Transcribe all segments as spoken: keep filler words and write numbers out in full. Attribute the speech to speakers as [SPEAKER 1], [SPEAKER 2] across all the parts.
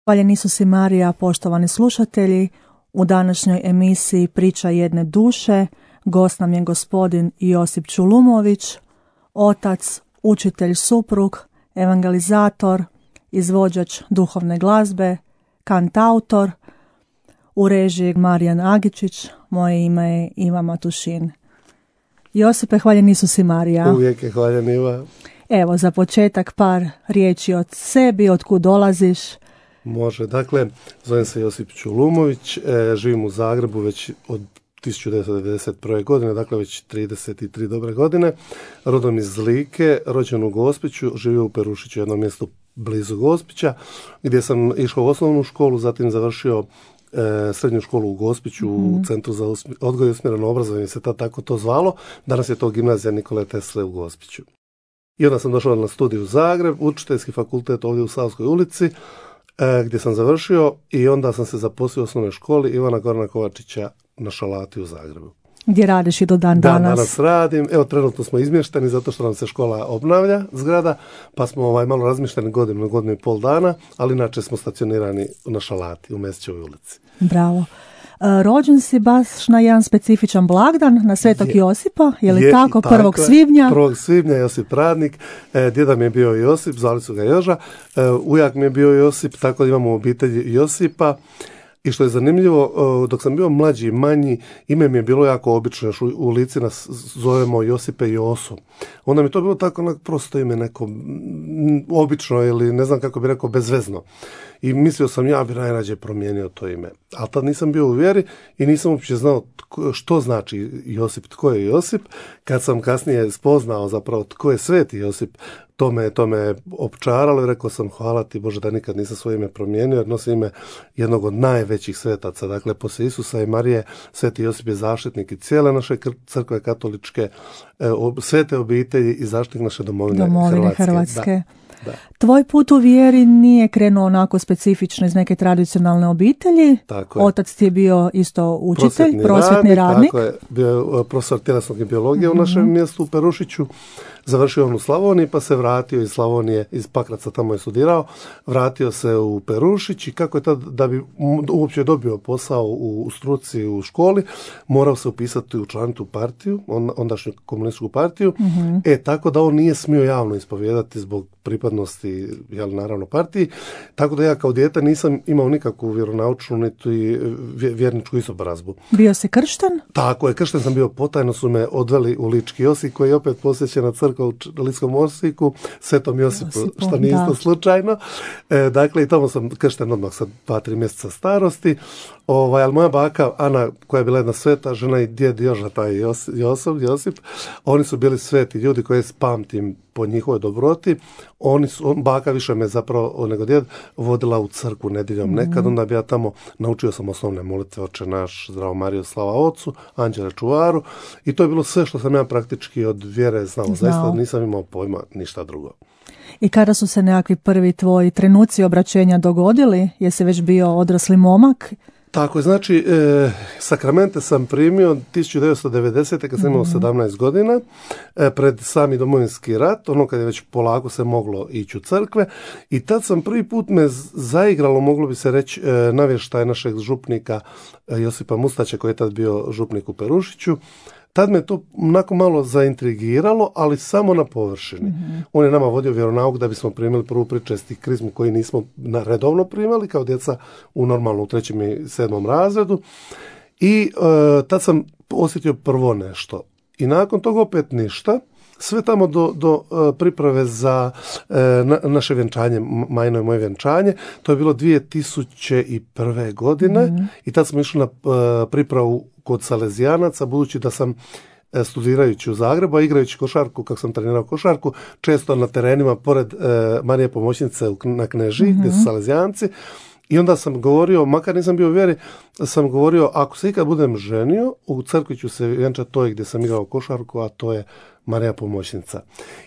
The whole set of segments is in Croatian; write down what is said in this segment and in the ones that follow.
[SPEAKER 1] Hvaljen Isus i Marija, poštovani slušatelji, u današnjoj emisiji Priča jedne duše gost nam je gospodin Josip Čulumović, otac, učitelj, suprug, evangelizator, izvođač duhovne glazbe, kantautor, u režiji Marijan Agičić, moje ime je Iva Matušin. Josipe, hvaljen Isus i Marija.
[SPEAKER 2] Uvijek je hvaljen Iva.
[SPEAKER 1] Evo, za početak par riječi od sebi, od kud dolaziš.
[SPEAKER 2] Može, dakle, zovem se Josip Čulumović, e, živim u Zagrebu već od tisuću devetsto devedeset prve. godine, dakle već trideset tri dobre godine, rodom iz Like, rođen u Gospiću, živio u Perušiću, jednom mjestu blizu Gospića, gdje sam išao u osnovnu školu, zatim završio e, srednju školu u Gospiću, mm. u Centru za odgoj i usmjereno obrazovanje, se tad tako to zvalo, danas je to gimnazija Nikole Tesle u Gospiću. I onda sam došao na studij u Zagreb, učiteljski fakultet ovdje u Savskoj ulici, gdje sam završio i onda sam se zaposlio u osnovnoj školi Ivana Gorana Kovačića na Šalati u Zagrebu.
[SPEAKER 1] Gdje radiš i do dan danas?
[SPEAKER 2] Da, danas radim. Evo, trenutno smo izmješteni zato što nam se škola obnavlja, zgrada, pa smo ovaj, malo razmješteni godinu, godinu i pol dana, ali inače smo stacionirani na Šalati u Mesićevoj ulici.
[SPEAKER 1] Bravo. Rođen si baš na jedan specifičan blagdan, na Svetog je, Josipa, je li je, tako, prvog svibnja?
[SPEAKER 2] prvog svibnja, Josip Radnik, e, djeda mi je bio Josip, zvali su ga Joža, e, ujak mi je bio Josip, tako da imamo u obitelji Josipa. I što je zanimljivo, dok sam bio mlađi i manji, ime mi je bilo jako obično, još u, u Lici nas zovemo Josipe Josu. Onda mi to bilo tako onak prosto ime, neko obično ili ne znam kako bi rekao, bezvezno. I mislio sam ja bi najrađe promijenio to ime. Ali tad nisam bio u vjeri i nisam uopće znao tko, što znači Josip, tko je Josip. Kad sam kasnije spoznao zapravo tko je Sveti Josip, to me, to me opčaralo i rekao sam hvala ti Bože da nikad nisam svoje ime promijenio, jer nosi ime jednog od najvećih svetaca. Dakle, poslije Isusa i Marije, Sveti Josip je zaštitnik i cijele naše crkve katoličke, svete obitelji i zaštitnik naše domovine,
[SPEAKER 1] domovine
[SPEAKER 2] Hrvatske.
[SPEAKER 1] Hrvatske.
[SPEAKER 2] Da. Da.
[SPEAKER 1] Tvoj put u vjeri nije krenuo onako specifično iz neke tradicionalne obitelji.
[SPEAKER 2] Tako je.
[SPEAKER 1] Otac ti je bio isto učitelj,
[SPEAKER 2] prosvjetni,
[SPEAKER 1] prosvjetni
[SPEAKER 2] radnik.
[SPEAKER 1] radnik.
[SPEAKER 2] Tako je, bio je profesor tjelesnog i biologije mm-hmm. u našem mjestu u Perušiću. Završio on u Slavoniji, pa se vratio iz Slavonije, iz Pakraca, tamo je studirao, vratio se u Perušić i kako je tad, da bi uopće dobio posao u, u struci, u školi, morao se upisati u članitu partiju, on, ondašnju komunističku partiju, mm-hmm. e, tako da on nije smio javno ispovijedati zbog pripadnosti, jel, naravno, partiji, tako da ja kao dijete nisam imao nikakvu vjeronaučnu niti vjerničku izobrazbu.
[SPEAKER 1] Bio si kršten?
[SPEAKER 2] Tako je, kršten sam bio, potajno su me odveli u Lički Osijek, koji je opet posjećena crkva u Ličkom Osijeku, Svetom Josipu, Josipu što nije isto slučajno. E, dakle, i tamo sam kršten odmah sa dva, tri mjeseca starosti. Ovaj, ali moja baka Ana, koja je bila jedna sveta žena, i djed Joža, taj Jos, Josip, Josip, oni su bili sveti ljudi koje pamtim po njihovoj dobroti. Oni su, on, baka više me zapravo nego djed vodila u crkvu nedjeljom mm-hmm. nekad, onda bi ja tamo naučio sam osnovne molitve, Oče naš, Zdravo Marijo, slava Ocu, Anđele čuvaru, i to je bilo sve što sam ja praktički od vjere znao. Znao. Zaista nisam imao pojma ništa drugo.
[SPEAKER 1] I kada su se nekakvi prvi tvoji trenuci obraćenja dogodili? Jesi već bio odrasli momak?
[SPEAKER 2] Tako je, znači, e, sakramente sam primio tisuću devetsto devedesete kad sam imao sedamnaest godina, e, pred sami Domovinski rat, ono kad je već polako se moglo ići u crkve, i tad sam prvi put me zaigralo, moglo bi se reći, e, navještaj našeg župnika e, Josipa Mustaća, koji je tad bio župnik u Perušiću. Tad me to onako malo zaintrigiralo, ali samo na površini. Mm-hmm. On je nama vodio vjeronauk da bismo primili prvu pričesti krizmu koju nismo redovno primali kao djeca u normalno u trećem i sedmom razredu. I e, tad sam osjetio prvo nešto. I nakon toga opet ništa. Sve tamo do, do uh, priprave za uh, na, naše vjenčanje, majno i moje vjenčanje, to je bilo dvije tisuće prve. godine mm-hmm. i tad smo išli na uh, pripravu kod Salezijanaca, budući da sam studirajući u Zagrebu, a igrajući košarku, kako sam trenirao košarku, često na terenima pored e, Marije Pomoćnice na Kneži, mm-hmm. gdje su Salezijanci. I onda sam govorio, makar nisam bio u vjeri, sam govorio, ako se ikad budem ženio, u crkvi ću se vjenčati toj gdje sam igrao košarku, a to je Marija Pomoćnica.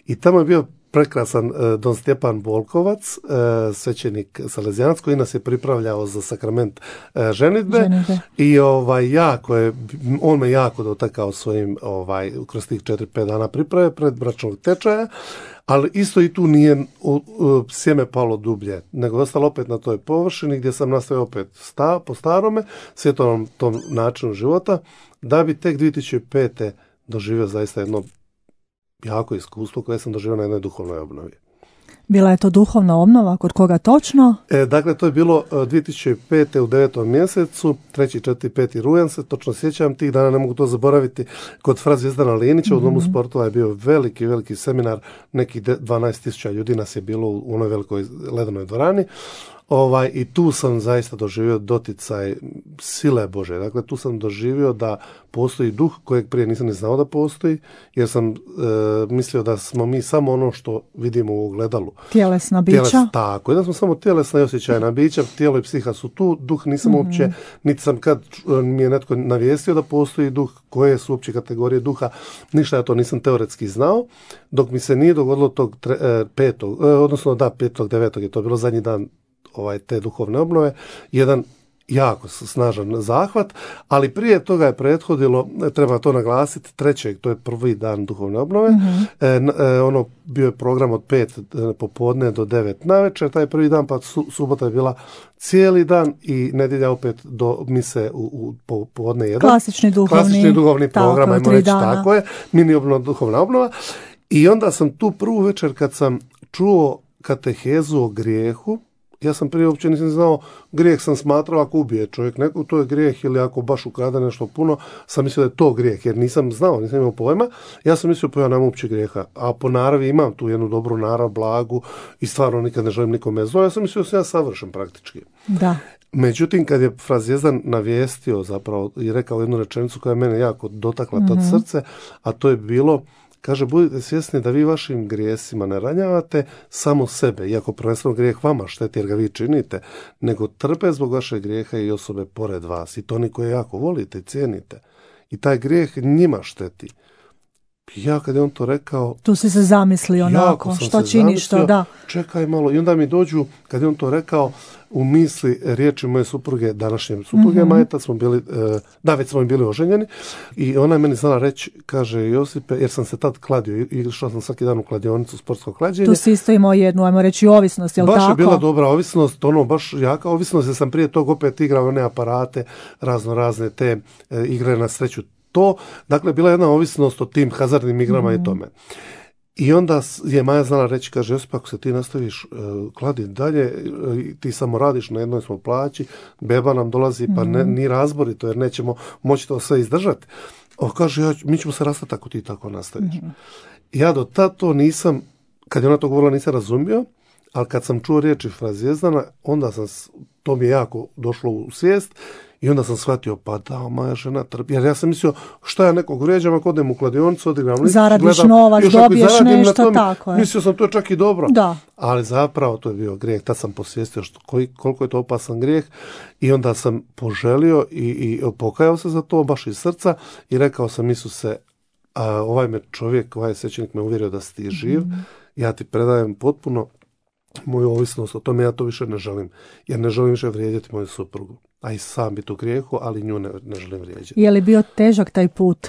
[SPEAKER 2] I tamo je bio prekrasan e, don Stjepan Volkovac, e, svećenik Salezijanac, koji nas je pripravljao za sakrament e, ženidbe. ženidbe. I ovaj, jako je, on me jako dotakao svojim, ovaj, kroz tih četiri pet dana priprave pred bračnog tečaja, ali isto i tu nije u, u, sjeme palo dublje, nego je ostalo opet na toj površini gdje sam nastavio opet sta, po starome, svjetovnom tom načinu života, da bi tek dvije tisuće pete doživio zaista jedno jako iskustvo koje sam doživio na jednoj duhovnoj obnovi.
[SPEAKER 1] Bila je to duhovna obnova, kod koga točno?
[SPEAKER 2] E, dakle, to je bilo dvije tisuće pete u devetom mjesecu, treći, četvrti, peti rujan se, točno sjećam tih dana, ne mogu to zaboraviti, kod fra Zvijezdana Linića, mm-hmm. u Domu sportova je bio veliki, veliki seminar, nekih dvanaest tisuća ljudi nas je bilo u onoj velikoj ledenoj dvorani. Ovaj, i tu sam zaista doživio doticaj sile Bože. Dakle, tu sam doživio da postoji duh kojeg prije nisam ni znao da postoji, jer sam e, mislio da smo mi samo ono što vidimo u ogledalu.
[SPEAKER 1] Tjelesna bića. Tjeles,
[SPEAKER 2] tako, i da smo samo tjelesna i osjećajna bića, tijelo i psiha su tu, duh nisam mm-hmm. uopće, niti sam kad mi je netko navijestio da postoji duh, koje su uopće kategorije duha, ništa ja to nisam teoretski znao, dok mi se nije dogodilo tog tre, e, petog, e, odnosno da, petog, devetog je to bilo zadnji dan ovaj, te duhovne obnove, jedan jako snažan zahvat, ali prije toga je prethodilo, treba to naglasiti, trećeg, to je prvi dan duhovne obnove, mm-hmm. e, e, ono bio je program od pet popodne do devet navečer, taj prvi dan, pa su, subota je bila cijeli dan i nedjelja opet do mise u, u popodne jedan.
[SPEAKER 1] Klasični duhovni,
[SPEAKER 2] Klasični duhovni program, ajmo reći,
[SPEAKER 1] dana.
[SPEAKER 2] Tako je, mini obnova, duhovna obnova. I onda sam tu prvu večer kad sam čuo katehezu o grijehu, ja sam prije uopće nisam znao, grijeh sam smatrao ako ubije čovjek neko, to je grijeh, ili ako baš ukrade nešto puno, sam mislio da je to grijeh, jer nisam znao, nisam imao pojma, ja sam mislio pa ja nemam uopće grijeha, a po naravi imam tu jednu dobru narav, blagu i stvarno nikad ne želim nikome zlo, ja sam mislio da sam ja savršen praktički.
[SPEAKER 1] Da.
[SPEAKER 2] Međutim, kad je fra Zvijezdan navijestio zapravo i rekao jednu rečenicu koja je mene jako dotakla tad mm-hmm. srce, a to je bilo, kaže, budite svjesni da vi vašim grijesima ne ranjavate samo sebe, iako prvenstveno grijeh vama šteti jer ga vi činite, nego trpe zbog vašeg grijeha i osobe pored vas, i to oni koje jako volite i cijenite. I taj grijeh njima šteti. Ja kad je on to rekao...
[SPEAKER 1] Tu si se zamislio onako, što činiš to, da.
[SPEAKER 2] Čekaj malo, i onda mi dođu, kad je on to rekao, u misli riječi moje supruge, današnje supruge, mm-hmm. Majeta, smo bili, da, već smo bili oženjeni, i ona je meni znala reći, kaže, Josipe, jer sam se tad kladio, i išao sam svaki dan u kladionicu, sportsko klađenje.
[SPEAKER 1] Tu si isto imao jednu, ajmo reći, ovisnost, je li
[SPEAKER 2] baš
[SPEAKER 1] tako?
[SPEAKER 2] Baš je bila dobra ovisnost, ono, baš jaka ovisnost, jer sam prije tog opet igrao one aparate, razno razne te e, igre na sreću. To, dakle, bila jedna ovisnost o tim hazardnim igrama mm-hmm. i tome. I onda je Maja znala reći, kaže, Josip, ako se ti nastaviš uh, kladiti dalje, uh, ti samo radiš, na jednoj smo plaći, beba nam dolazi, pa ne, ni razborito, jer nećemo moći to sve izdržati. O, kaže, ja, mi ćemo se rastati ako ti tako nastaviš. Mm-hmm. Ja do tad to nisam, kad je ona to govorila, nisam razumio, ali kad sam čuo riječi fra Zvjezdana, onda sam, to mi je jako došlo u svijest, i onda sam shvatio, pa da, moja žena trpi. Jer ja sam mislio, šta ja nekog vrijeđam ako odem u kladionicu, odigram listić,
[SPEAKER 1] zaradiš
[SPEAKER 2] gledam,
[SPEAKER 1] novac, dobiješ nešto, tako je.
[SPEAKER 2] Mislio sam, to je čak i dobro.
[SPEAKER 1] Da.
[SPEAKER 2] Ali zapravo to je bio grijeh. Tad sam posvijestio što, koji, koliko je to opasan grijeh, i onda sam poželio i, i pokajao se za to, baš iz srca, i rekao sam, Isuse, a, ovaj me čovjek, ovaj svećenik me uvjerio da si ti živ, mm. ja ti predajem potpuno moju ovisnost o tome, ja to više ne želim, jer ne želim više vrijediti moju suprugu. A i sam biti u grijehu, ali nju ne, ne želim vrijeđati.
[SPEAKER 1] Je li bio težak taj put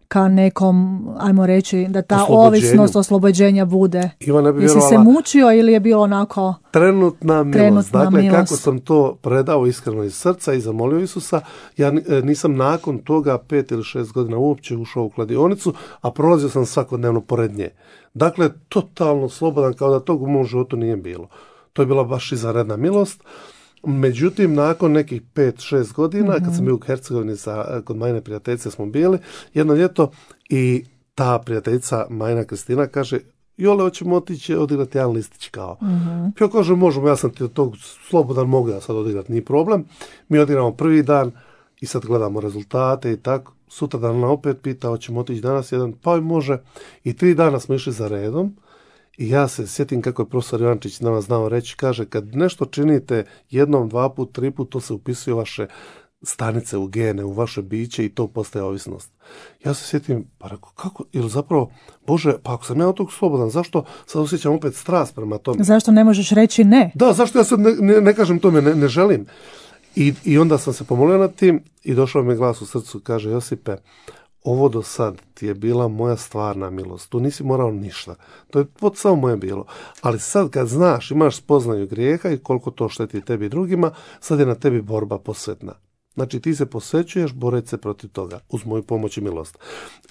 [SPEAKER 1] ka nekom, ajmo reći, da ta ovisnost oslobođenja bude?
[SPEAKER 2] Iva, ne
[SPEAKER 1] Jesi se mučio ili je bilo onako...
[SPEAKER 2] Trenutna milost.
[SPEAKER 1] Trenutna
[SPEAKER 2] dakle,
[SPEAKER 1] milost.
[SPEAKER 2] Kako sam to predao iskreno iz srca i zamolio Isusa, ja nisam nakon toga pet ili šest godina uopće ušao u kladionicu, a prolazio sam svakodnevno pored nje. Dakle, totalno slobodan, kao da tog u mom životu nije bilo. To je bila baš izvanredna milost. Međutim, nakon nekih pet šest godina, mm-hmm. kad sam bio u Hercegovini sa, kod Majine prijateljice smo bili, jedno ljeto, i ta prijateljica Majina Kristina kaže, Jole, hoćemo otići odigrati jedan listić kao. Mm-hmm. Ja kažem, možemo, ja sam ti od tog slobodan, mogu ja sad odigrati, nije problem. Mi odigramo prvi dan i sad gledamo rezultate i tako. sutra dan opet pita, hoćemo otići danas jedan, pa i može. I tri dana smo išli za redom i ja se sjetim kako je profesor Ivančić nama znao reći, kaže, kad nešto činite jednom, dva put, tri put, to se upisuje u vaše stanice, u gene, u vaše biće i to postaje ovisnost. Ja se sjetim, pa rekao, kako, ili zapravo, Bože, pa ako sam ja od tog slobodan, zašto sad osjećam opet strast prema tome?
[SPEAKER 1] Zašto ne možeš reći ne?
[SPEAKER 2] Da, zašto ja sad ne, ne, ne kažem tome, ne, ne želim. I, I onda sam se pomolio nad tim i došao mi glas u srcu, kaže, Josipe, ovo do sad ti je bila moja stvarna milost, tu nisi morao ništa, to je pod samo moje bilo, ali sad kad znaš, imaš spoznaju grijeha i koliko to šteti tebi i drugima, sad je na tebi borba posvetna. Znači ti se posvećuješ boreći se protiv toga, uz moju pomoć i milost.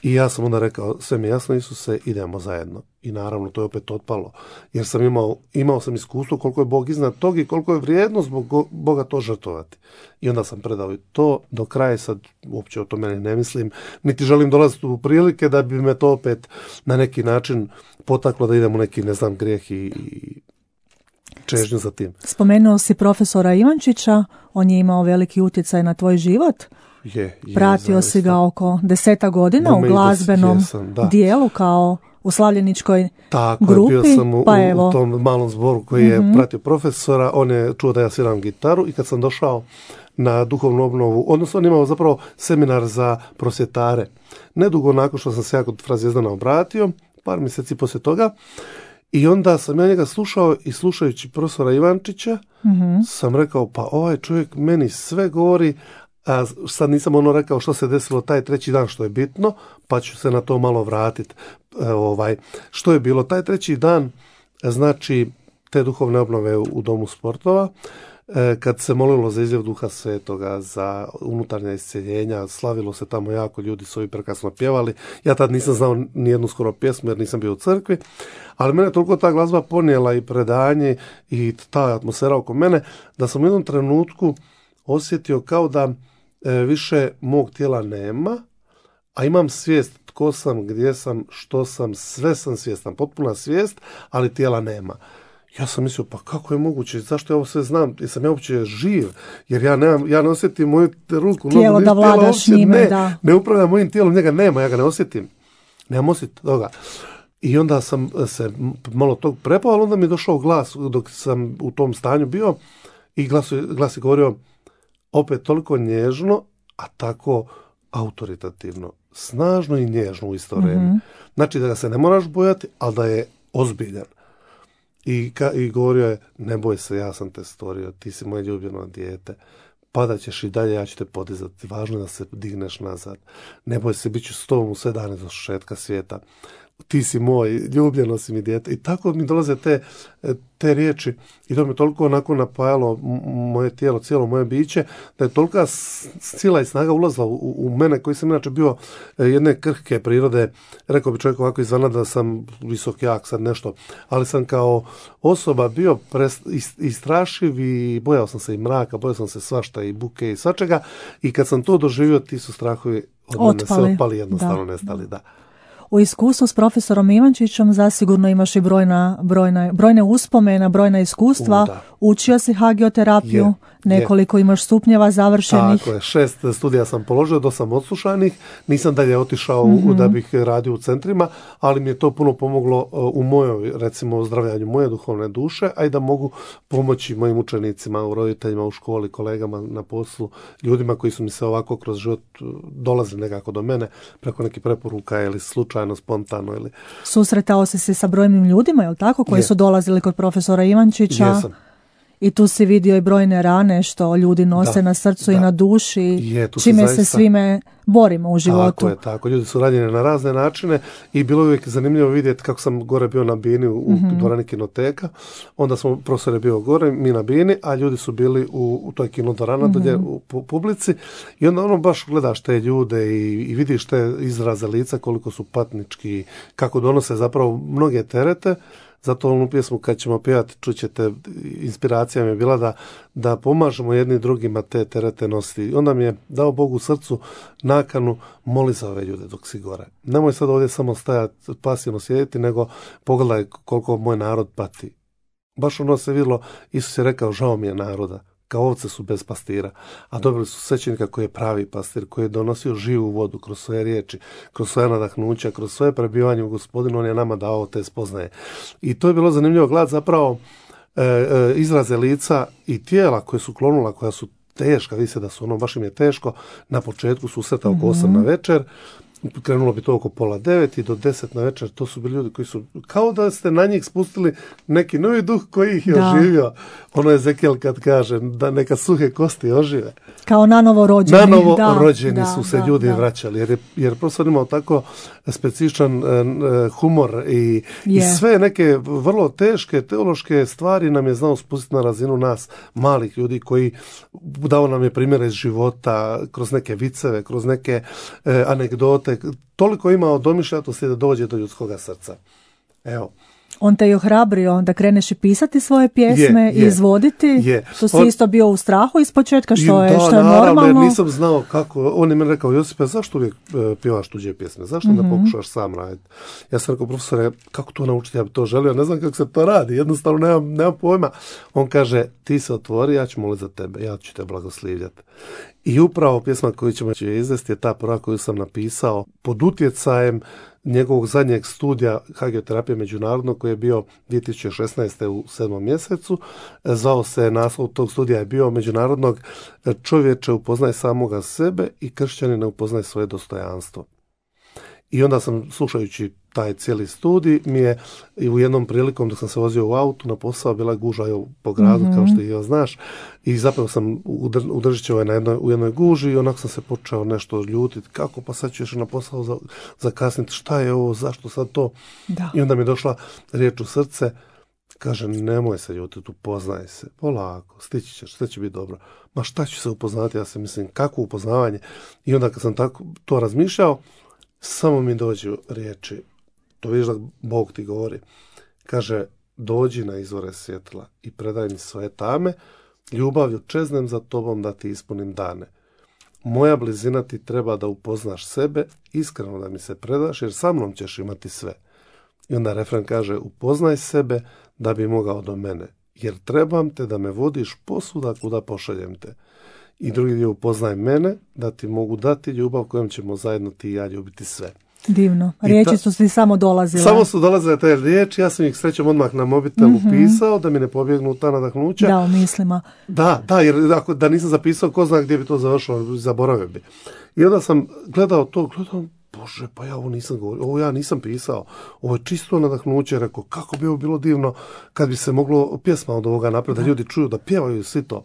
[SPEAKER 2] I ja sam onda rekao, sve mi jasno Isuse, idemo zajedno. I naravno to je opet otpalo, jer sam imao, imao sam iskustvo koliko je Bog iznad tog i koliko je vrijednost zbog Boga to žrtvovati. I onda sam predao i to do kraja, sad uopće o to meni ne mislim, niti želim dolaziti u prilike da bi me to opet na neki način potaklo da idem u neki, ne znam, grijeh i čežnju za tim.
[SPEAKER 1] Spomenuo si profesora Ivančića, on je imao veliki utjecaj na tvoj život.
[SPEAKER 2] Je, je,
[SPEAKER 1] Pratio
[SPEAKER 2] zaista.
[SPEAKER 1] Si ga oko deseta godina
[SPEAKER 2] Bome
[SPEAKER 1] u glazbenom
[SPEAKER 2] jesam, da.
[SPEAKER 1] dijelu kao u slavljeničkoj
[SPEAKER 2] Tako
[SPEAKER 1] grupi.
[SPEAKER 2] je, bio sam u,
[SPEAKER 1] pa evo.
[SPEAKER 2] u tom malom zboru koji je
[SPEAKER 1] Mm-hmm.
[SPEAKER 2] pratio profesora, on je čuo da ja sviram gitaru i kad sam došao na duhovnu obnovu, odnosno on imao zapravo seminar za prosvjetare. Nedugo nakon što sam se ja kod Fra Zvijezdana obratio, par mjeseci poslije toga, i onda sam ja njega slušao i slušajući profesora Ivančića,
[SPEAKER 1] Mm-hmm.
[SPEAKER 2] sam rekao, pa ovaj čovjek meni sve govori, a sad nisam ono rekao što se desilo taj treći dan, što je bitno, pa ću se na to malo vratiti. E, ovaj, što je bilo taj treći dan, znači te duhovne obnove u, u Domu sportova, e, kad se molilo za izljev Duha Svetoga, za unutarnja isceljenja, slavilo se tamo jako, ljudi su i prekrasno pjevali. Ja tad nisam znao nijednu skoro pjesmu jer nisam bio u crkvi, ali mene toliko ta glazba ponijela i predanje i ta atmosfera oko mene, da sam u jednom trenutku osjetio kao da e, više mog tijela nema, a imam svijest tko sam, gdje sam, što sam, sve sam svjestan, potpuna svijest, ali tijela nema. Ja sam mislio, pa kako je moguće, zašto ja ovo sve znam, jesam ja uopće živ, jer ja, nemam, ja ne osjetim moju ruku,
[SPEAKER 1] Tijelo
[SPEAKER 2] nogu,
[SPEAKER 1] da vladaš
[SPEAKER 2] uopće,
[SPEAKER 1] njime,
[SPEAKER 2] ne,
[SPEAKER 1] da.
[SPEAKER 2] ne upravljam mojim tijelom, njega nema, ja ga ne osjetim, nemam osjet toga. I onda sam se malo tog prepao, ali onda mi je došao glas dok sam u tom stanju bio i glas, glas je govorio opet toliko nježno, a tako autoritativno, snažno i nježno u isto vrijeme.
[SPEAKER 1] Mm-hmm.
[SPEAKER 2] Znači da ga se ne moraš bojati, ali da je ozbiljan. I, ka, i govorio je, ne boj se, ja sam te stvorio, ti si moje ljubljeno dijete, padat ćeš i dalje, ja ću te podizati, važno je da se digneš nazad, ne boj se, bit ću s tobom u sve dane do šetka svijeta, ti si moj, ljubljeno si mi dijete. I tako mi dolaze te, te riječi i to me toliko onako napajalo moje tijelo, cijelo moje biće, da je tolika sila i snaga ulazila u, u mene, koji sam inače bio jedne krhke prirode, rekao bi čovjek ovako izvana da sam visok, jak, sad nešto, ali sam kao osoba bio pres, istrašiv i bojao sam se i mraka, bojao sam se svašta i buke i svačega, i kad sam to doživio, ti su strahovi od mene se opali, jednostavno da. nestali, da.
[SPEAKER 1] U iskustvu s profesorom Ivančićem zasigurno imaš i brojna, brojna, brojne uspomena, brojna iskustva. U, Učio si hagioterapiju, je, nekoliko je. Imaš stupnjeva završenih.
[SPEAKER 2] Tako je, šest studija sam položio, do sam odslušanih, nisam dalje otišao
[SPEAKER 1] mm-hmm.
[SPEAKER 2] da bih radio u centrima, ali mi je to puno pomoglo u mojoj, recimo, ozdravljanju moje duhovne duše, a i da mogu pomoći mojim učenicima, u roditeljima, u školi, kolegama na poslu, ljudima koji su mi se ovako kroz život dolazili nekako do mene, preko nekih preporuka ili slučajno, spontano. Ili...
[SPEAKER 1] Susretao si se sa brojnim ljudima, je li tako, koji je. su dolazili kod profesora Ivančića?
[SPEAKER 2] Jesam.
[SPEAKER 1] I tu si vidio i brojne rane što ljudi nose da, na srcu da. i na duši,
[SPEAKER 2] je,
[SPEAKER 1] čime
[SPEAKER 2] zaista...
[SPEAKER 1] se svime borimo u životu.
[SPEAKER 2] Tako je, tako. Ljudi su ranjeni na razne načine i bilo je uvijek zanimljivo vidjeti kako sam gore bio na bini u, u mm-hmm. dvorani kinoteka. Onda smo, profesor je bio gore, mi na bini, a ljudi su bili u, u toj kinodvorana mm-hmm. dolje u pu, publici. I onda ono baš gledaš te ljude i, i vidiš te izraze lica koliko su patnički, kako donose zapravo mnoge terete. Zato onu pjesmu kad ćemo pjevati, čućete, inspiracija mi je bila da, da pomažemo jedni drugima te terete nositi. I onda mi je dao Bog u srcu nakanu, moli za ove ljude dok si gore. Nemoj sad ovdje samo stajati, pasivno sjediti, nego pogledaj koliko moj narod pati. Baš ono se vidjelo, Isus je rekao, žao mi je naroda. kao ovce su bez pastira, a dobili su svećenika koji je pravi pastir, koji je donosio živu vodu kroz svoje riječi, kroz svoje nadahnuća, kroz svoje prebivanje u Gospodinu, on je nama dao te spoznaje. I to je bilo zanimljivo gledati zapravo e, e, izraze lica i tijela koje su klonula, koja su teška, vidi se da su ono, baš im je teško, na početku susreta oko osam na večer, krenulo bi to oko pola devet i do deset na večer, to su bili ljudi koji su, kao da ste na njih spustili neki novi duh koji ih je da. oživio. Ono je Ezekijel kad kaže da neka suhe kosti ožive.
[SPEAKER 1] Kao nanovo rođeni.
[SPEAKER 2] Nanovo
[SPEAKER 1] da,
[SPEAKER 2] rođeni
[SPEAKER 1] da,
[SPEAKER 2] su se
[SPEAKER 1] da,
[SPEAKER 2] ljudi
[SPEAKER 1] da.
[SPEAKER 2] vraćali, jer je, jer profesor imao tako specifičan uh, humor i, i sve neke vrlo teške teološke stvari nam je znao spustiti na razinu nas, malih ljudi koji dao nam je primjere iz života, kroz neke viceve, kroz neke uh, anegdote. Toliko ima od domišljatosti da dođe do ljudskoga srca. Evo.
[SPEAKER 1] On te je ohrabrio da kreneš i pisati svoje pjesme
[SPEAKER 2] je,
[SPEAKER 1] i izvoditi.
[SPEAKER 2] Je.
[SPEAKER 1] To si
[SPEAKER 2] on,
[SPEAKER 1] isto bio u strahu ispočetka, što je,
[SPEAKER 2] da,
[SPEAKER 1] što je
[SPEAKER 2] naravno,
[SPEAKER 1] normalno.
[SPEAKER 2] Jer nisam znao kako. On je meni rekao, Josipe, zašto uvijek uh, pjevaš tuđe pjesme? Zašto mm-hmm. ne pokušaš sam raditi? Ja sam rekao, profesore, kako to naučiti? Ja bi to želio, ne znam kako se to radi. Jednostavno nemam, nemam pojma. On kaže, ti se otvori, ja ću moliti za tebe, ja ću te blagoslivljati. I upravo pjesma koju ćemo izvesti je ta prva koju sam napisao pod utjecajem njegovog zadnjeg studija hagioterapije međunarodnog koji je bio dvije tisuće šesnaeste u sedmom mjesecu. Zvao se, naslov tog studija je bio međunarodnog čovječe upoznaj samoga sebe i kršćanina upoznaj svoje dostojanstvo. I onda sam, slušajući taj cijeli studij, mi je i u jednom prilikom dok sam se vozio u autu na posao bila guža po gradu, mm-hmm. kao što i znaš, i zapravo sam udržićao na jednoj, u jednoj guži i onako sam se počeo nešto ljutiti, kako pa sad ću još na posao za, zakasniti, šta je ovo, zašto sad to?
[SPEAKER 1] Da.
[SPEAKER 2] I onda mi je došla riječ u srce, kaže, nemoj se ljutiti, upoznaj se, polako, stići ćeš, sve će biti dobro. Ma šta ću se upoznati, ja se mislim, kako upoznavanje? I onda kad sam tako to razmišljao, samo mi dođu riječi, to vidiš da Bog ti govori, kaže, dođi na izvore svjetla i predaj mi svoje tame, ljubavlju čeznem za tobom da ti ispunim dane. Moja blizina ti treba da upoznaš sebe, iskreno da mi se predaš, jer sa mnom ćeš imati sve. I onda refren kaže, upoznaj sebe da bi mogao do mene, jer trebam te da me vodiš posuda kuda pošaljem te. I drugi dio, upoznaj mene, da ti mogu dati ljubav kojom ćemo zajedno ti i ja ljubiti sve.
[SPEAKER 1] Divno. Riječi ta, su ti samo dolazile.
[SPEAKER 2] Samo su dolazile te riječi, ja sam ih srećom odmah na mobitelu mm-hmm. pisao, da mi ne pobjegnu ta nadahnuća.
[SPEAKER 1] Da, u mislima.
[SPEAKER 2] Da, da, jer ako, da nisam zapisao, ko zna gdje bi to završilo, zaboravio bi. I onda sam gledao to, gledao, Bože, pa ja ovo nisam govorio, ovo ja nisam pisao, ovo je čisto nadahnuće, rekao, kako bi ovo bilo divno kad bi se moglo pjesma od ovoga napraviti, da. da ljudi čuju, da pjevaju svi to.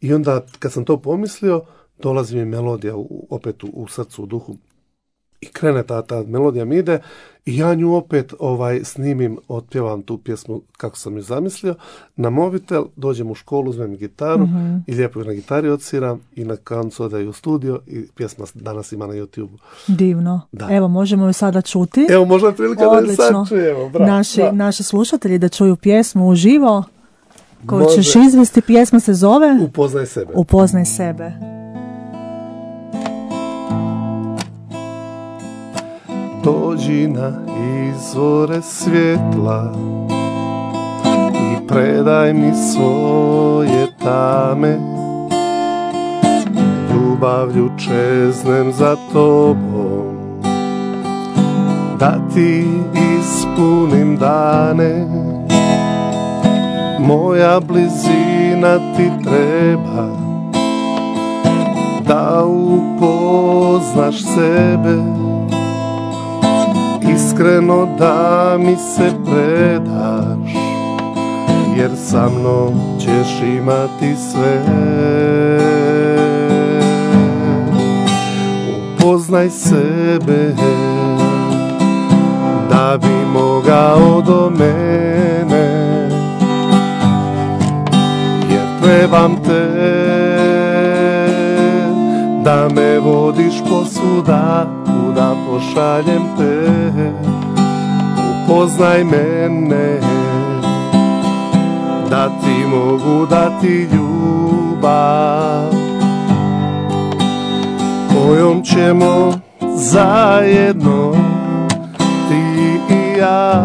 [SPEAKER 2] I onda, kad sam to pomislio, dolazi mi melodija u, opet u, u srcu, u duhu. I krene ta, ta melodija mi ide i ja nju opet ovaj, snimim, otpjevam tu pjesmu kako sam ju zamislio, na mobitel, dođem u školu, uzmem gitaru mm-hmm. i lijepo ju na gitari odsviram i na koncu odaju u studio i pjesma danas ima na YouTube.
[SPEAKER 1] Divno. Da. Evo, možemo ju sada čuti.
[SPEAKER 2] Evo, možda prilika da ju sad čujemo. Bra,
[SPEAKER 1] naši,
[SPEAKER 2] bra.
[SPEAKER 1] naši slušatelji da čuju pjesmu uživo. Koju ćeš izvesti, pjesma se zove
[SPEAKER 2] Upoznaj sebe.
[SPEAKER 1] Upoznaj sebe.
[SPEAKER 2] Dođi na izvore svjetla i predaj mi svoje tame, ljubavlju čeznem za tobom, da ti ispunim dane. Moja blizina ti treba da upoznaš sebe, iskreno da mi se predaš, jer sa mnom ćeš imati sve. Upoznaj sebe da bi mogao do mene, trebam te da me vodiš posuda kuda pošaljem te. Upoznaj mene da ti mogu dati ljubav kojom ćemo zajedno ti i ja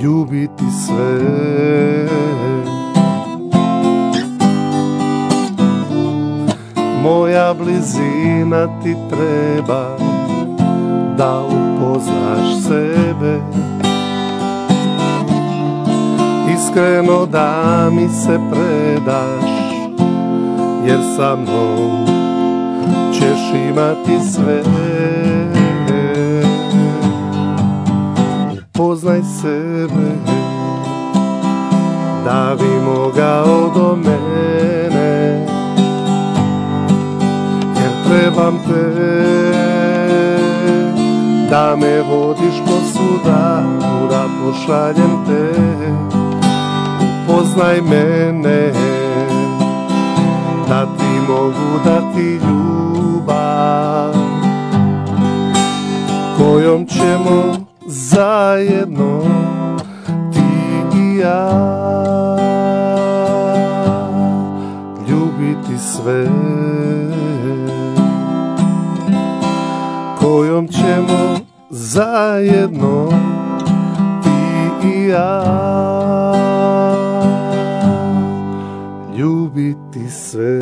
[SPEAKER 2] ljubiti sve. vremena ti treba da upoznaš sebe, iskreno da mi se predaš, jer sa mnom ćeš imati sve. Upoznaj sebe da bi mogao do mene, jer trebam te da me vodiš posvuda, kuda pošaljem te. Upoznaj mene da ti mogu dati ljubav kojom ćemo zajedno ti i ja ljubiti sve, kojom ćemo zajedno ti i ja ljubiti sve.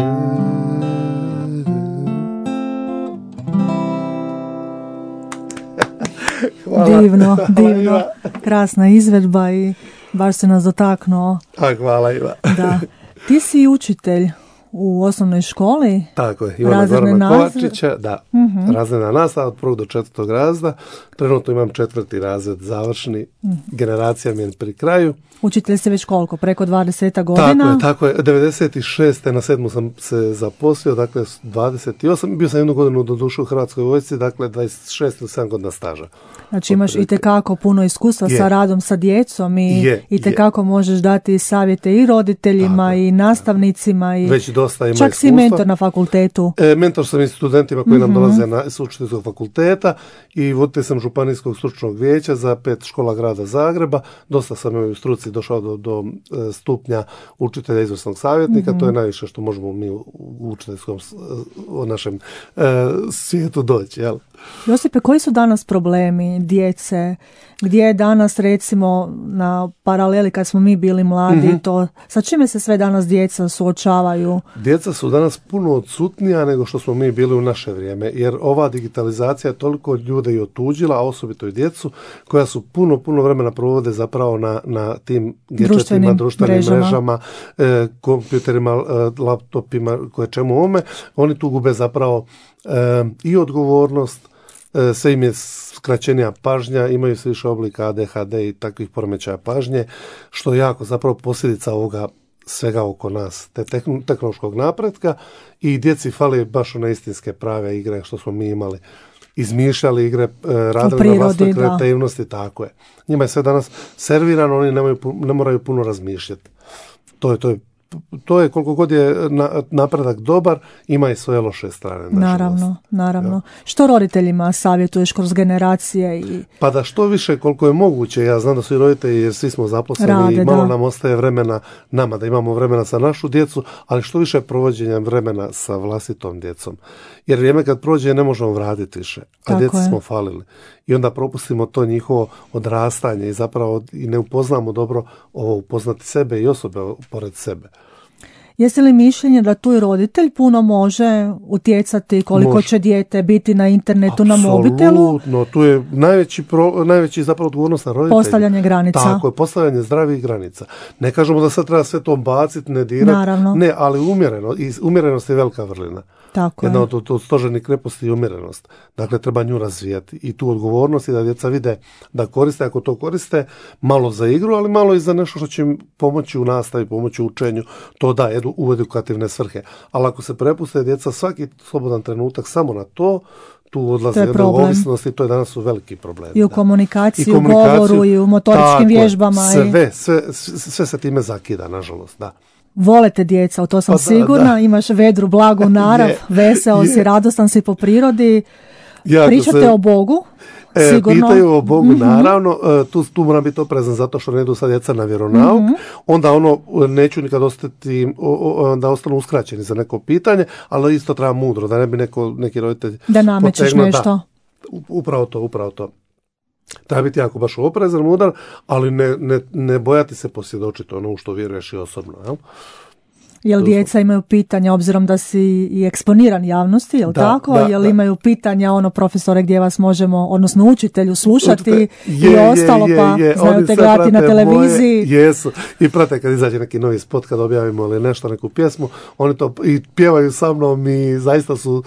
[SPEAKER 2] Hvala.
[SPEAKER 1] Divno, divno. Krasna izvedba i baš se nas dotaknuo.
[SPEAKER 2] A, hvala Iva.
[SPEAKER 1] Da. Ti si učitelj u osnovnoj školi.
[SPEAKER 2] Tako je, Ivana Gorana Kovačića, da, uh-huh. razredna nastava od prvog do četvrtog razreda. Trenutno imam četvrti razred završni, uh-huh. generacija mi je pri kraju.
[SPEAKER 1] Učitelj se već koliko, preko dvadeset godina?
[SPEAKER 2] Tako je, tako je, devedeset šeste na sedmu sam se zaposlio, dakle dvadeset osam, bio sam jednu godinu do duše u Hrvatskoj vojsci, dakle dvadeset šest ili sedam godina staža.
[SPEAKER 1] Znači imaš itekako puno iskustva
[SPEAKER 2] je.
[SPEAKER 1] sa radom sa djecom i je, itekako je. možeš dati savjete i roditeljima tako, i nastavnicima i
[SPEAKER 2] već dosta ima
[SPEAKER 1] čak
[SPEAKER 2] iskustva.
[SPEAKER 1] Si mentor na fakultetu.
[SPEAKER 2] E, mentor sam i studentima koji mm-hmm. nam dolaze na, s učiteljskog fakulteta i voditelj sam županijskog stručnog vijeća za pet škola grada Zagreba. Dosta sam u struci došao do, do stupnja učitelja izvrsnog savjetnika. Mm-hmm. To je najviše što možemo mi u učiteljskom u našem e, svijetu doći. Jel?
[SPEAKER 1] Josipe, koji su danas problemi djece? Gdje je danas, recimo, na paraleli kad smo mi bili mladi, mm-hmm. to, sa čime se sve danas djeca suočavaju?
[SPEAKER 2] Djeca su danas puno odsutnija nego što smo mi bili u naše vrijeme, jer ova digitalizacija je toliko ljude i otuđila, a osobito i djecu, koja su puno, puno vremena provode zapravo na, na tim gadgetima, društvenim mrežama, mrežama e, kompjuterima, e, laptopima, koje čemu ome. Oni tu gube zapravo e, i odgovornost, e, sve im je skraćenija pažnja, imaju se više oblika A D H D i takvih poremećaja pažnje, što je jako zapravo posljedica ovoga svega oko nas, te tehnološkog napretka, i djeci fali baš one istinske prave igre što smo mi imali. Izmišljali igre, radili prirodi, na vlastnoj kreativnosti, tako je. Njima je sve danas servirano, oni nemaju, ne moraju puno razmišljati. To je, to je To je koliko god je napredak dobar, ima i svoje loše strane.
[SPEAKER 1] Naravno, naravno. Ja. Što roditeljima savjetuješ kroz generacije? I...
[SPEAKER 2] Pa da što više koliko je moguće, ja znam da su i roditelji, jer svi smo zaposleni Rade, i malo da. nam ostaje vremena nama, da imamo vremena sa našu djecu, ali što više provođenja vremena sa vlastitom djecom. Jer vrijeme kad prođe ne možemo vratiti više, a Tako djeci je. smo falili. I onda propustimo to njihovo odrastanje i zapravo i ne upoznamo dobro ovo upoznati sebe i osobe pored sebe.
[SPEAKER 1] Jesi li mišljenje da tu i roditelj puno može utjecati koliko može. će dijete biti na internetu, Absolutno, na mobitelu?
[SPEAKER 2] Apsolutno, tu je najveći, pro, najveći zapravo odgovornost na roditelji.
[SPEAKER 1] Postavljanje granica.
[SPEAKER 2] Tako je, postavljanje zdravih granica. Ne kažemo da sad treba sve to baciti, ne dirati.
[SPEAKER 1] Naravno.
[SPEAKER 2] Ne, ali umjereno. I umjerenost je velika vrlina.
[SPEAKER 1] Tako
[SPEAKER 2] Jedna
[SPEAKER 1] je.
[SPEAKER 2] od, od stožernih kreposti je umjerenost. Dakle, treba nju razvijati. I tu odgovornost je da djeca vide da koriste, ako to koriste, malo za igru, ali malo i za nešto što će im pomoći u nastavi, pomoći u učenju. To da, edu, u edukativne svrhe. Ali ako se prepuste djeca svaki slobodan trenutak samo na to, tu odlazi jedna ovisnost i to je danas su veliki problemi.
[SPEAKER 1] I u komunikaciji, u govoru, i u motoričkim vježbama.
[SPEAKER 2] Sve, sve, sve, sve se time zakida, nažalost, da.
[SPEAKER 1] Volete djeca, u to sam pa sigurna, da, da. Imaš vedru, blagu narav, je, veseo je. si, radostan si po prirodi, jako pričate se, o Bogu, e, sigurno.
[SPEAKER 2] Pitaju o Bogu, mm-hmm. naravno, tu, tu moram biti oprezan zato što ne idu sad djeca na vjeronauk, mm-hmm. onda ono, neću nikad ostati, da ostanu uskraćeni za neko pitanje, ali isto treba mudro, da ne bi neko, neki roditelj
[SPEAKER 1] da namećeš potegna, nešto.
[SPEAKER 2] Da, upravo to, upravo to. Treba biti jako baš oprezan, mudar, ali ne, ne, ne bojati se posvjedočiti ono u što vjeruješ i osobno. Jel?
[SPEAKER 1] Jel djeca imaju pitanja, obzirom da si i eksponiran javnosti, jel
[SPEAKER 2] da,
[SPEAKER 1] tako?
[SPEAKER 2] Da,
[SPEAKER 1] jel
[SPEAKER 2] da.
[SPEAKER 1] imaju pitanja, ono, profesore, gdje vas možemo, odnosno učitelju, slušati
[SPEAKER 2] je,
[SPEAKER 1] i ostalo,
[SPEAKER 2] je,
[SPEAKER 1] pa
[SPEAKER 2] je,
[SPEAKER 1] znaju te gledati na televiziji.
[SPEAKER 2] Moje, jesu. I prate kad izađe neki novi spot, kad objavimo ili nešto, neku pjesmu, oni to i pjevaju sa mnom i zaista su,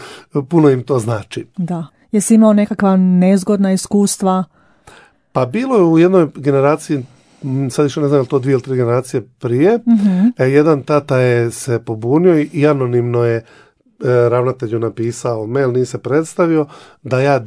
[SPEAKER 2] puno im to znači.
[SPEAKER 1] Da. Jesi imao nekakva nezgodna iskustva?
[SPEAKER 2] Pa bilo je u jednoj generaciji, sad više ne znam je li to dvije ili tri generacije prije,
[SPEAKER 1] Mm-hmm.
[SPEAKER 2] e, jedan tata je se pobunio i anonimno je e, ravnatelju napisao mail, nije se predstavio, da ja e,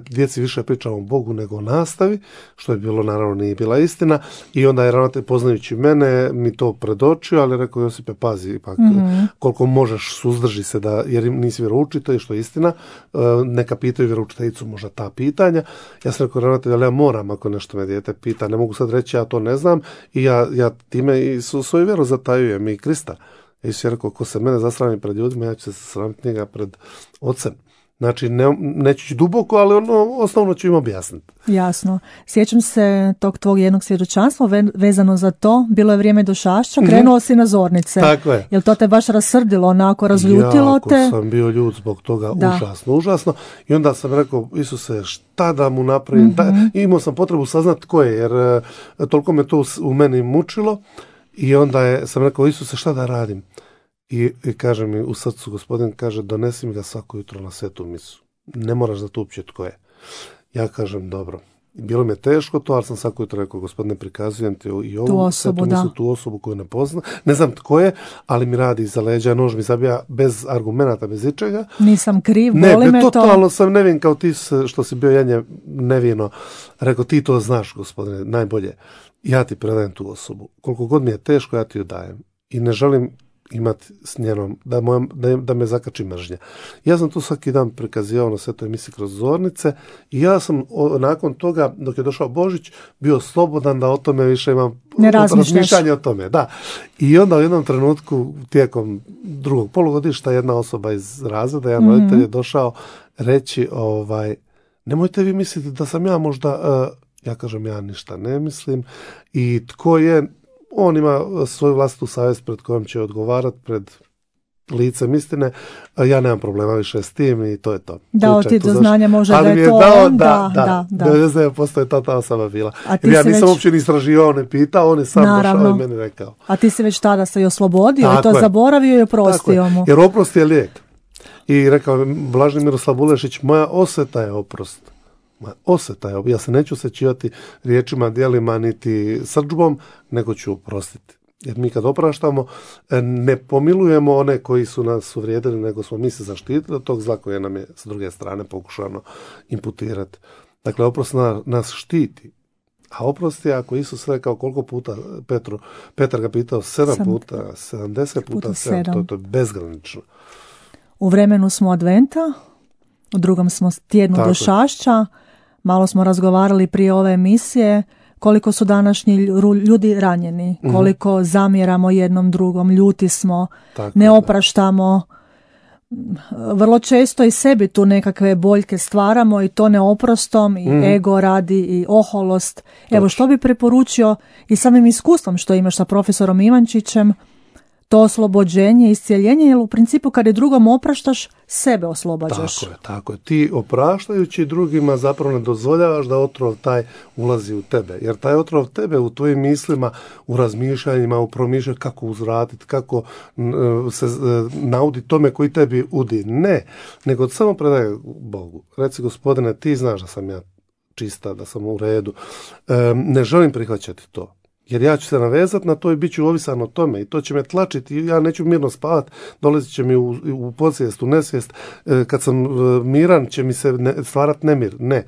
[SPEAKER 2] djeci više pričam o Bogu nego o nastavi, što je bilo, naravno nije bila istina, i onda je ravnatelj, poznajući mene, mi to predočio, ali rekao, Josipe, pazi, ipak, mm-hmm. koliko možeš, suzdrži se, da, jer nisi vjeroučitelj, što je istina, e, neka pitaju vjeroučiteljicu možda ta pitanja. Ja sam rekao, ravnatelj, ali ja moram, ako nešto me dijete pita, ne mogu sad reći, ja to ne znam, i ja, ja time i su, svoju vjeru zatajujem i Krista. Isus je rekao, ko se mene zasrami pred ljudima, ja ću se sramiti njega pred ocem. Znači, ne, neću ići duboko, ali ono, osnovno ću im objasniti.
[SPEAKER 1] Jasno. Sjećam se tog tvog jednog svjedočanstva ve, vezano za to. Bilo je vrijeme došašća, krenuo mm-hmm. si na zornice.
[SPEAKER 2] Tako je.
[SPEAKER 1] Jel to te baš rasrdilo, onako razljutilo
[SPEAKER 2] jako
[SPEAKER 1] te?
[SPEAKER 2] Jako sam bio ljut zbog toga, da. užasno, užasno. I onda sam rekao, Isuse, šta da mu napravim? Mm-hmm. Da, imao sam potrebu saznati ko je, jer uh, toliko me to u meni mučilo. I onda je, sam rekao, Isuse, šta da radim? I, i kaže mi u srcu, gospodin kaže, donesi mi ga svako jutro na svetu misu. Ne moraš da tu uopće tko je. Ja kažem, dobro. Bilo mi je teško to, ali sam svako jutro rekao, gospodine, prikazujem ti i ovu
[SPEAKER 1] tu osobu,
[SPEAKER 2] svetu misu, tu osobu koju ne poznam. Ne znam tko je, ali mi radi iza leđa, nož mi zabija bez argumenata, bez ičega.
[SPEAKER 1] Nisam kriv,
[SPEAKER 2] ne,
[SPEAKER 1] boli me to.
[SPEAKER 2] Ne, totalno sam nevin kao ti što si bio janje nevino. Rekao, ti to znaš, gospodine, najbolje. Ja ti predajem tu osobu. Koliko god mi je teško, ja ti ju dajem. I ne želim imati s njenom, da, moja, da, da me zakači mržnja. Ja sam tu svaki dan prikazivao na svetoj emisiji kroz zornice i ja sam o, nakon toga, dok je došao Božić, bio slobodan da o tome više imam razmišljanje o tome. Da. I onda u jednom trenutku, tijekom drugog polugodišta, jedna osoba iz razreda, jedan mm-hmm. roditelj je došao reći, ovaj, nemojte vi misliti da sam ja možda, uh, ja kažem, ja ništa ne mislim, i tko je, on ima svoju vlastitu savjest pred kojom će odgovarati pred licem istine, ja nemam problema više s tim i to je to.
[SPEAKER 1] Dao ti do znanja može da je to
[SPEAKER 2] dao,
[SPEAKER 1] on,
[SPEAKER 2] da, da, da, da. devedeset devet posto je ta ta osoba bila. Jer ja nisam već uopće ni istraživao, ne pitao, on je sam
[SPEAKER 1] Naravno.
[SPEAKER 2] došao i meni rekao.
[SPEAKER 1] A ti si već tada se i oslobodio tako i to
[SPEAKER 2] je.
[SPEAKER 1] zaboravio i oprostio mu.
[SPEAKER 2] Jer oprost je lijek. I rekao Blaženi Miroslav Bulešić, moja osveta je oprost. Moja osveta je, ja se neću osjećivati riječima, djelima, niti srdžbom, nego ću oprostiti. Jer mi kad opraštamo, ne pomilujemo one koji su nas uvrijedili, nego smo mi se zaštitili od tog zla koje nam je s druge strane pokušano imputirati. Dakle, oprost nas štiti. A oprost je, ako Isus rekao koliko puta Petru, Petar ga pitao sedam Sam, puta, sedamdeset puta, sedam, to, to je bezgranično.
[SPEAKER 1] U vremenu smo adventa, u drugom smo tjednu došašća, malo smo razgovarali prije ove emisije, koliko su današnji ljudi ranjeni, mm-hmm. koliko zamjeramo jednom drugom, ljuti smo, tako, ne opraštamo. Vrlo često i sebi tu nekakve boljke stvaramo i to neoprostom i mm. ego radi i oholost. Evo Toč. Što bi preporučio i samim iskustvom što imaš sa profesorom Ivančićem, to oslobođenje, iscijeljenje, jer u principu kad je drugom opraštaš, sebe oslobađaš.
[SPEAKER 2] Tako je, tako je. Ti opraštajući drugima zapravo ne dozvoljavaš da otrov taj ulazi u tebe. Jer taj otrov tebe u tvojim mislima, u razmišljanjima, u promišljanju kako uzvratiti, kako uh, se uh, nauditi tome koji tebi udi. Ne, nego samo predaj Bogu. Reci, gospodine, ti znaš da sam ja čista, da sam u redu. Um, ne želim prihvaćati to. Jer ja ću se navezati na to i bit ću ovisan o tome i to će me tlačiti i ja neću mirno spavati, dolazit će mi u, u podsvijest, u nesvijest, e, kad sam e, miran će mi se ne, stvarati nemir. Ne. E,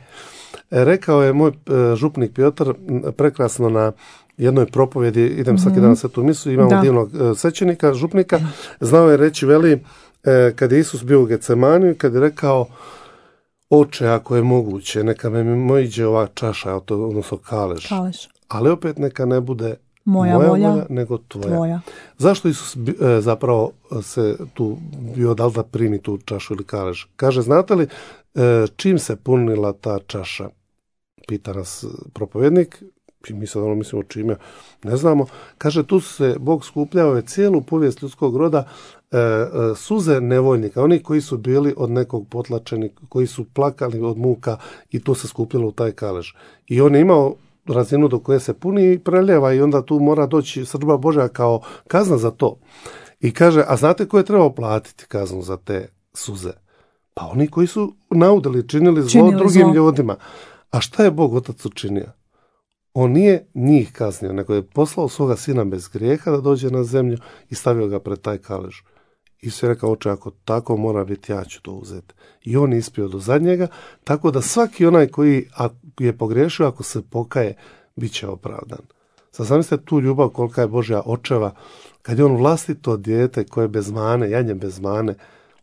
[SPEAKER 2] rekao je moj e, župnik Piotr prekrasno na jednoj propovjedi, idem mm-hmm. svaki dan na svetu misu, imamo da. divnog e, svećenika, župnika, znao je reći, veli, e, kad je Isus bio u Getsemaniju, kad je rekao, oče, ako je moguće, neka me mojiđe ova čaša, odnosno kalež.
[SPEAKER 1] Kalež.
[SPEAKER 2] Ali opet neka ne bude
[SPEAKER 1] moja,
[SPEAKER 2] moja
[SPEAKER 1] volja,
[SPEAKER 2] volja, nego tvoja.
[SPEAKER 1] tvoja.
[SPEAKER 2] Zašto Isus e, zapravo se tu bio dal da primi tu čašu ili kalež? Kaže, znate li e, čim se punila ta čaša? Pita nas propovjednik. i mi sad ono mislimo čime, ne znamo. Kaže, tu su se Bog skupljao je cijelu povijest ljudskog roda, e, e, suze nevoljnika, oni koji su bili od nekog potlačeni, koji su plakali od muka i to se skupljalo u taj kalež. I on je imao razinu do koje se puni i preljeva i onda tu mora doći srdba Božja kao kazna za to. I kaže, a znate ko je trebao platiti kaznu za te suze? Pa oni koji su naudili, činili zlo
[SPEAKER 1] Činili
[SPEAKER 2] drugim
[SPEAKER 1] zlo.
[SPEAKER 2] ljudima. A šta je Bog Otac učinio? On nije njih kaznio, nego je poslao svoga sina bez grijeha da dođe na zemlju i stavio ga pred taj kalež. I sve rekao, oče, ako tako mora biti, ja ću to uzeti. I on je ispio do zadnjega, tako da svaki onaj koji je pogriješio, ako se pokaje, bit će opravdan. Sad zamislite tu ljubav kolika je Božja očeva, kad je on vlastito dijete koje je bez mane, janje bez mane,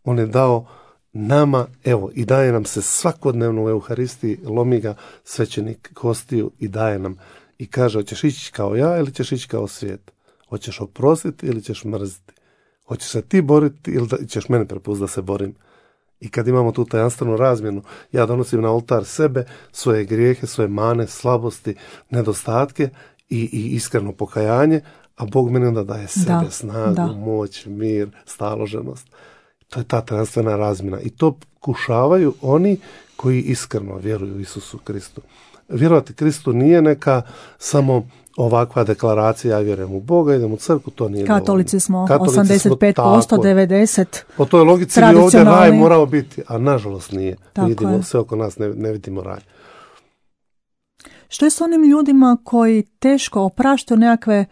[SPEAKER 2] on je dao nama, evo, i daje nam se svakodnevno u Euharistiji, lomi ga svećenik kostiju i daje nam. I kaže, hoćeš ići kao ja ili ćeš ići kao svijet? Hoćeš oprostiti ili ćeš mrziti? Hoćeš se ti boriti ili da, ćeš mene prepustiti da se borim? I kad imamo tu tajanstvenu razmjenu, ja donosim na oltar sebe, svoje grijehe, svoje mane, slabosti, nedostatke i, i iskreno pokajanje, a Bog meni onda daje sebe,
[SPEAKER 1] Da,
[SPEAKER 2] snagu,
[SPEAKER 1] da.
[SPEAKER 2] moć, mir, staloženost. To je ta tajanstvena razmjena. I to kušavaju oni koji iskreno vjeruju u Isusu Kristu. Vjerovati Kristu nije neka samo ovakva deklaracija, ja vjerujem u Boga, idem u crkvu, to nije
[SPEAKER 1] Katolici smo
[SPEAKER 2] dovoljno. Katolici
[SPEAKER 1] osamdeset pet posto,
[SPEAKER 2] tako je.
[SPEAKER 1] devedeset
[SPEAKER 2] Po toj logici bi ovdje
[SPEAKER 1] tradicionalni.
[SPEAKER 2] raj morao biti, a nažalost nije.
[SPEAKER 1] Tako
[SPEAKER 2] Vidimo,
[SPEAKER 1] je.
[SPEAKER 2] sve oko nas ne, ne vidimo raj.
[SPEAKER 1] Što je s onim ljudima koji teško opraštaju nekakve,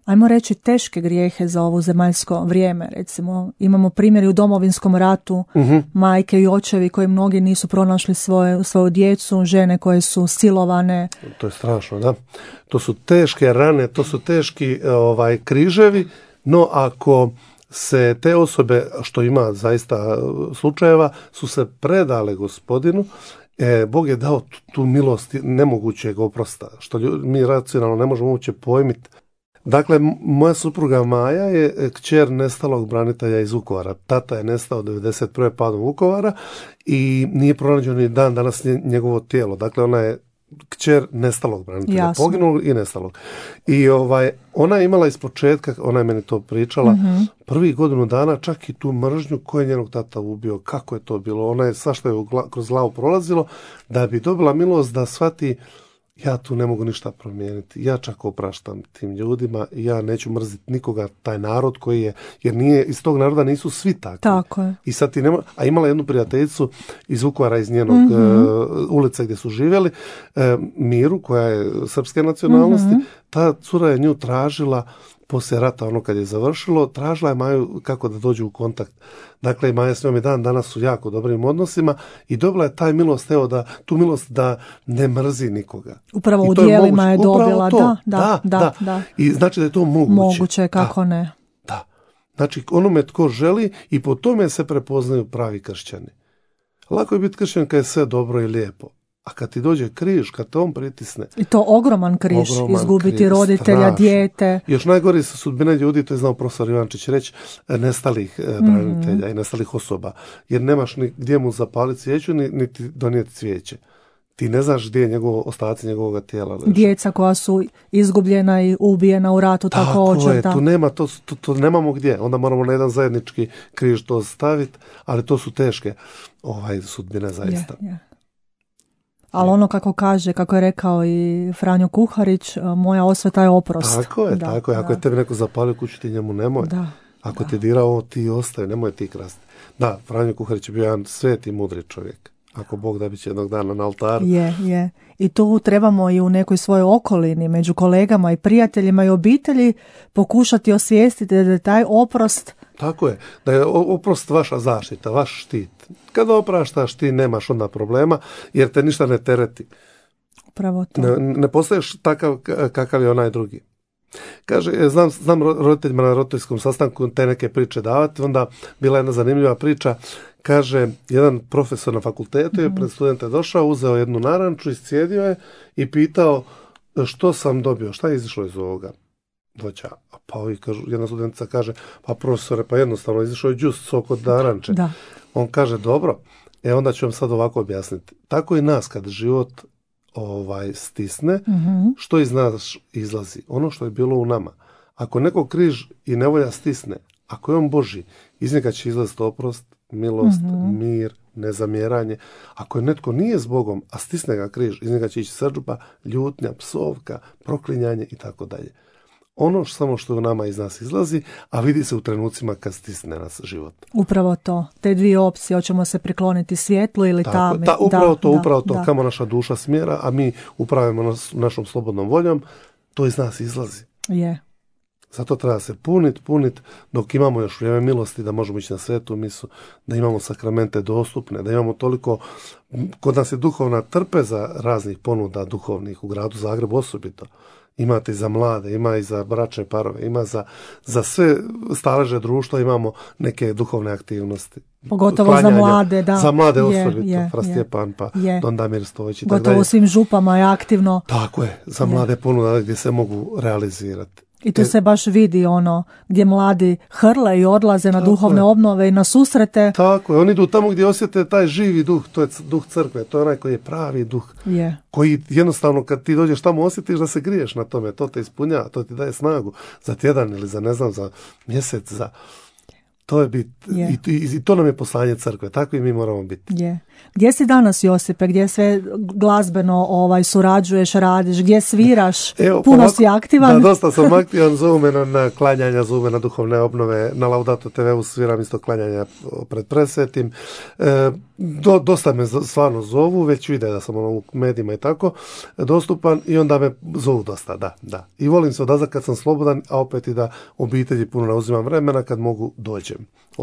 [SPEAKER 1] ajmo reći, teške grijehe za ovo zemaljsko vrijeme? Recimo, imamo primjeri u Domovinskom ratu,
[SPEAKER 2] Mhm.
[SPEAKER 1] majke i očevi koji mnogi nisu pronašli svoje, svoju djecu, žene koje su silovane.
[SPEAKER 2] To je strašno, da. To su teške rane, to su teški ovaj križevi, no ako se te osobe, što ima zaista slučajeva, su se predale Gospodinu, e, Bog je dao tu, tu milost nemogućeg oprosta, što ljudi, mi racionalno ne možemo uopće pojmiti. Dakle, m- moja supruga Maja je kćer nestalog branitelja iz Vukovara. Tata je nestao devedeset prve padom Vukovara i nije pronađeno ni dan danas nje- njegovo tijelo. Dakle, ona je kćer nestalog branitelja,
[SPEAKER 1] Jasno.
[SPEAKER 2] poginulog i nestalog. I ovaj, ona je imala iz početka, ona je meni to pričala,
[SPEAKER 1] Mhm.
[SPEAKER 2] prvih godinu dana čak i tu mržnju ko je njenog tata ubio, kako je to bilo. Ona je svašta je u gla- kroz glavu prolazilo da bi dobila milost da shvati, ja tu ne mogu ništa promijeniti. Ja čak opraštam tim ljudima i ja neću mrziti nikoga, taj narod koji je, jer nije, iz tog naroda nisu svi takvi.
[SPEAKER 1] Tako je.
[SPEAKER 2] I sad ti nema, a imala jednu prijateljicu iz Vukovara, iz njenog
[SPEAKER 1] Mhm.
[SPEAKER 2] e, ulice gdje su živjeli, e, Miru, koja je srpske nacionalnosti,
[SPEAKER 1] Mhm.
[SPEAKER 2] ta cura je nju tražila poslije rata, ono kad je završilo, tražila je Maju kako da dođu u kontakt. Dakle, Maja s njom i dan danas su jako dobrim odnosima i dobila je taj milost, evo da, tu milost da ne mrzi nikoga.
[SPEAKER 1] Upravo
[SPEAKER 2] I
[SPEAKER 1] u
[SPEAKER 2] to je
[SPEAKER 1] dijelima
[SPEAKER 2] moguće.
[SPEAKER 1] je
[SPEAKER 2] Upravo
[SPEAKER 1] dobila,
[SPEAKER 2] to.
[SPEAKER 1] da, da, da, da.
[SPEAKER 2] I znači da je to moguće.
[SPEAKER 1] Moguće je, kako
[SPEAKER 2] Da.
[SPEAKER 1] ne.
[SPEAKER 2] Da. Znači, onome tko želi i po tome se prepoznaju pravi kršćani. Lako je biti kršćan kad je sve dobro i lijepo. A kad ti dođe križ, kad te on pritisne,
[SPEAKER 1] I to ogroman križ,
[SPEAKER 2] Ogroman
[SPEAKER 1] izgubiti
[SPEAKER 2] križ,
[SPEAKER 1] roditelja,
[SPEAKER 2] strašno.
[SPEAKER 1] dijete.
[SPEAKER 2] još najgore su sudbine ljudi, to je znao profesor Ivančić reći, e, nestalih e, branitelja i nestalih osoba. Jer nemaš ni gdje mu zapaliti svijeću, ni, niti donijeti cvijeće. Ti ne znaš gdje je njegov, ostaci njegovog tijela leže.
[SPEAKER 1] Djeca koja su izgubljena i ubijena u ratu
[SPEAKER 2] Tako
[SPEAKER 1] također.
[SPEAKER 2] je,
[SPEAKER 1] da.
[SPEAKER 2] tu nema, to, to, to nemamo gdje. Onda moramo na jedan zajednički križ to staviti, ali to su teške ovaj, sudbine zaista.
[SPEAKER 1] Je, je. Ali ono kako kaže, kako je rekao i Franjo Kuharić, moja osveta je oprost.
[SPEAKER 2] Tako je,
[SPEAKER 1] Da,
[SPEAKER 2] tako je. Ako
[SPEAKER 1] da.
[SPEAKER 2] je tebi neko zapalio kuću, ti njemu nemoj.
[SPEAKER 1] Da,
[SPEAKER 2] Ako
[SPEAKER 1] da.
[SPEAKER 2] ti dirao, ti ostaje, nemoj ti krasti. Da, Franjo Kuharić je bio jedan sveti, mudri čovjek. Ako Bog da, bit će jednog dana na oltaru.
[SPEAKER 1] Je, je. I tu trebamo i u nekoj svojoj okolini, među kolegama i prijateljima i obitelji pokušati osvijestiti da je taj oprost.
[SPEAKER 2] Tako je, da je o- oprost vaša zaštita, vaš štit. Kada opraštaš, ti nemaš onda problema, jer te ništa ne tereti.
[SPEAKER 1] Upravo to.
[SPEAKER 2] Ne, ne postaješ takav k- kakav je onaj drugi. Kaže, e, znam, znam ro- roditeljima na roditeljskom sastanku te neke priče davati, onda bila jedna zanimljiva priča, kaže, jedan profesor na fakultetu je pred studente došao, uzeo jednu naranču, iscijedio je i pitao što sam dobio, šta je izišlo iz ovoga voća. A pa ovi kažu, jedna studentica kaže, pa profesore, pa jednostavno izišao je džus, sok od naranče.
[SPEAKER 1] Da.
[SPEAKER 2] On kaže, dobro, e onda ću vam sad ovako objasniti. Tako i nas kad život ovaj stisne,
[SPEAKER 1] mm-hmm.
[SPEAKER 2] što iz nas izlazi? Ono što je bilo u nama. Ako neko križ i nevolja stisne, ako je on Božji, iz njega će izlaziti oprost, milost, mm-hmm. mir, nezamjeranje. Ako je netko nije s Bogom, a stisne ga križ, iz njega će ići srdžba, ljutnja, psovka, proklinjanje i tako dalje. Ono što, samo što u nama iz nas izlazi, a vidi se u trenucima kad stisne nas život.
[SPEAKER 1] Upravo to. Te dvije opcije, hoćemo se prikloniti svjetlu ili
[SPEAKER 2] tako,
[SPEAKER 1] tami.
[SPEAKER 2] Ta, upravo
[SPEAKER 1] da,
[SPEAKER 2] to,
[SPEAKER 1] da,
[SPEAKER 2] upravo to,
[SPEAKER 1] da.
[SPEAKER 2] kamo naša duša smjera, a mi upravimo nas, našom slobodnom voljom, to iz nas izlazi.
[SPEAKER 1] Je.
[SPEAKER 2] Zato treba se puniti, puniti dok imamo još vrijeme milosti da možemo ići na svetu misu, da imamo sakramente dostupne, da imamo toliko, kod nas je duhovna trpeza raznih ponuda duhovnih u gradu Zagrebu osobito. Imate i za mlade, ima i za bračne parove, ima za, za sve staleže društva imamo neke duhovne aktivnosti.
[SPEAKER 1] Pogotovo Klanjanje, za mlade, da.
[SPEAKER 2] Za mlade
[SPEAKER 1] je,
[SPEAKER 2] osobito,
[SPEAKER 1] je,
[SPEAKER 2] Fra Stjepan, pa
[SPEAKER 1] je.
[SPEAKER 2] Don Damir Stojić i tako dalje.
[SPEAKER 1] Gotovo u svim župama je aktivno.
[SPEAKER 2] Tako je, za je. Mlade ponuda gdje se mogu realizirati.
[SPEAKER 1] I tu se baš vidi ono gdje mladi hrle i odlaze na tako duhovne je. Obnove i na susrete.
[SPEAKER 2] Tako je, oni idu tamo gdje osjete taj živi duh, to je duh crkve, to je onaj koji je pravi duh.
[SPEAKER 1] Je.
[SPEAKER 2] Koji jednostavno kad ti dođeš tamo osjetiš da se griješ na tome, to te ispunjava, to ti daje snagu za tjedan ili za ne znam, za mjesec, za... To je bit,
[SPEAKER 1] je.
[SPEAKER 2] I, i, i to nam je poslanje crkve, tako i mi moramo biti.
[SPEAKER 1] Je. Gdje si danas, Josipe, gdje sve glazbeno ovaj, surađuješ, radiš, gdje sviraš,
[SPEAKER 2] Evo,
[SPEAKER 1] puno
[SPEAKER 2] ovako,
[SPEAKER 1] si aktivan?
[SPEAKER 2] Da, dosta sam aktivan, zovu me na, na klanjanja, zovu me na duhovne obnove, na Laudato te veu sviram isto klanjanja pred presvetim. E, do, dosta me stvarno zovu, već vide da sam ono, u medijima i tako dostupan i onda me zovu dosta, da, da. I volim se odazvati kad sam slobodan, a opet i da obitelji puno ne uzimam vremena kad mogu dođem.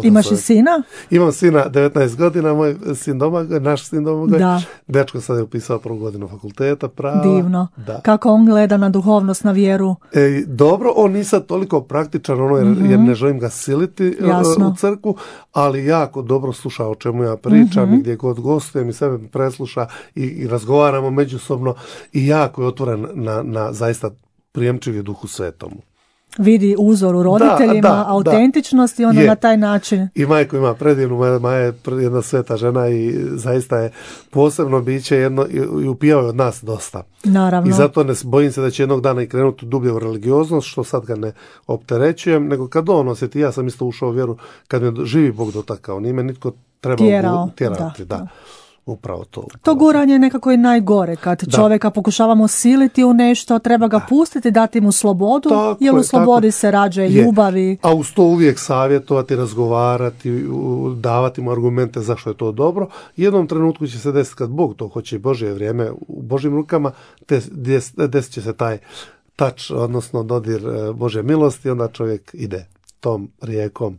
[SPEAKER 1] Imaš i sina?
[SPEAKER 2] Imam sina, devetnaest godina, moj sin Domagoj, naš sin Domagoj.
[SPEAKER 1] Da.
[SPEAKER 2] Dečko sad je upisao prvu godinu fakulteta prava.
[SPEAKER 1] Divno.
[SPEAKER 2] Da.
[SPEAKER 1] Kako on gleda na duhovnost, na vjeru?
[SPEAKER 2] E, dobro, on nije sad toliko praktičan, ono, jer, mm-hmm. jer ne želim ga siliti Jasno. u crkvu, ali jako dobro sluša o čemu ja pričam mm-hmm. i gdje god gostujem i sebe presluša i, i razgovaramo međusobno i jako je otvoren na, na zaista prijemčivi Duhu Svetomu.
[SPEAKER 1] Vidi uzor u roditeljima, da, da, autentičnost da. I onda je. Na taj način.
[SPEAKER 2] I majku ima predivnu, Maja je jedna sveta žena i zaista je posebno biće jedno i upijao je od nas dosta.
[SPEAKER 1] Naravno.
[SPEAKER 2] I zato ne bojim se da će jednog dana i krenuti dublje u religioznost, što sad ga ne opterećujem, nego kad on osjeti, ja sam isto ušao u vjeru, kad me živi Bog dotakao, nije me nitko trebao
[SPEAKER 1] tjerao,
[SPEAKER 2] tjerati. Da,
[SPEAKER 1] da.
[SPEAKER 2] da. Upravo to. Upravo
[SPEAKER 1] to guranje je nekako i najgore, kad da. Čovjeka pokušavamo siliti u nešto, treba ga pustiti, dati mu slobodu, tako jer u slobodi se rađe ljubavi.
[SPEAKER 2] A uz to uvijek savjetovati, razgovarati, davati mu argumente zašto je to dobro. Jednom trenutku će se desiti kad Bog to hoće i Božje vrijeme u Božjim rukama, desit će se taj tač, odnosno dodir Božje milosti, onda čovjek ide tom rijekom.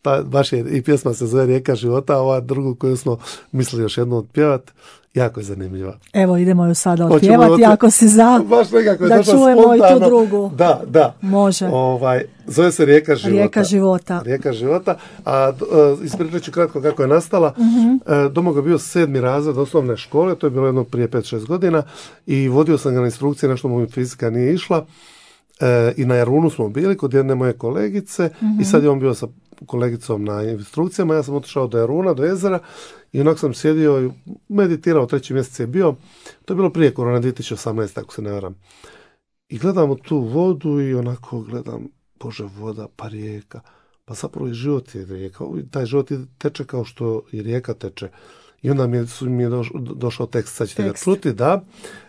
[SPEAKER 2] Pa baš je, i pjesma se zove Rijeka života, a ova drugu koju smo mislili još jednu otpjevat, jako je zanimljiva.
[SPEAKER 1] Evo, idemo ju sada otpjevati, ako si za,
[SPEAKER 2] baš nekako je
[SPEAKER 1] da čujemo spontano. I tu drugu.
[SPEAKER 2] Da, da.
[SPEAKER 1] Može.
[SPEAKER 2] Ovaj, zove se Rijeka života.
[SPEAKER 1] Rijeka života.
[SPEAKER 2] Rijeka života, a uh, ispričat ću kratko kako je nastala.
[SPEAKER 1] Mm-hmm.
[SPEAKER 2] Uh, Domagoj je bio sedmi razred osnovne škole, to je bilo jedno prije pet šest godina, i vodio sam ga na instrukcije, nešto mu fizika nije išla. E, i na Jarunu smo bili kod jedne moje kolegice mm-hmm. i sad je on bio sa kolegicom na instrukcijama, ja sam otišao do Jaruna, do jezera i onak sam sjedio i meditirao, treći mjesec je bio, to je bilo prije korona dvije tisuće osamnaeste ako se ne varam. I gledam u tu vodu i onako gledam, Bože, voda, pa rijeka, pa zapravo i život je rijeka, taj život teče kao što i rijeka teče. I onda mi je, mi je došao, došao tekst, sad ćete tekst. ga čuti, da,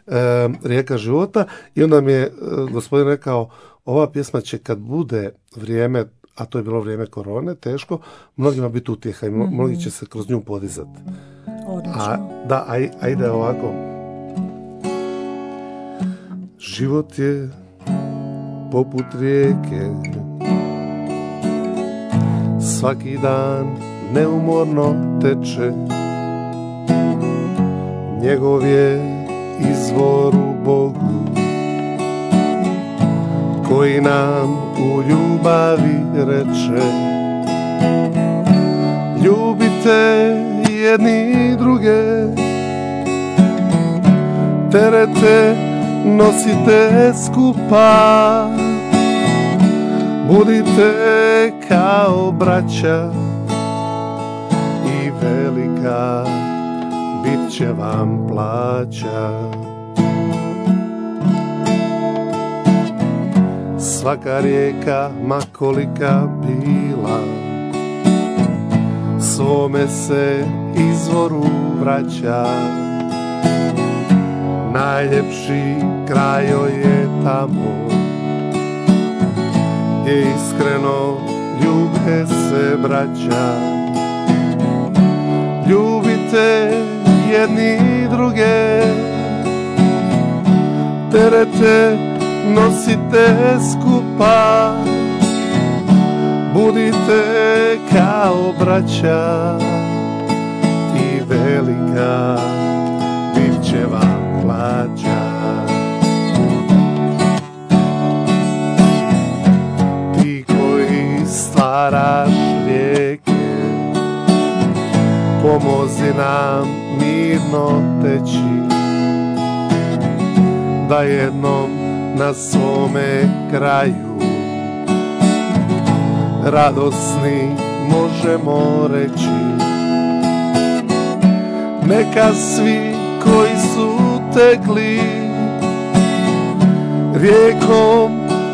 [SPEAKER 2] e, Rijeka života, i onda mi je e, gospodin rekao, ova pjesma će kad bude vrijeme, a to je bilo vrijeme korone, teško, mnogima biti utjeha i mm-hmm. mnogi će se kroz nju podizati.
[SPEAKER 1] Odlično.
[SPEAKER 2] A, da, a, a ide ovako. Život je poput rijeke, svaki dan neumorno teče, njegov je izvor u Bogu, koji nam u ljubavi reče, ljubite jedni druge, terete nosite skupa, budite kao braća i velika bit će vam plaća. Svaka rijeka, ma kolika bila, svome se izvoru vraća. Najljepši kraj joj je tamo, gdje iskreno ljube se braća. Ljubite jedni druge, terete nosite skupa, budite kao braća i velika bit će vam plaća. Ti koji stvaraš rijeke, pomozi nam mirno teći, da jednom na svome kraju radosni možemo reći. Neka svi koji su tekli rijekom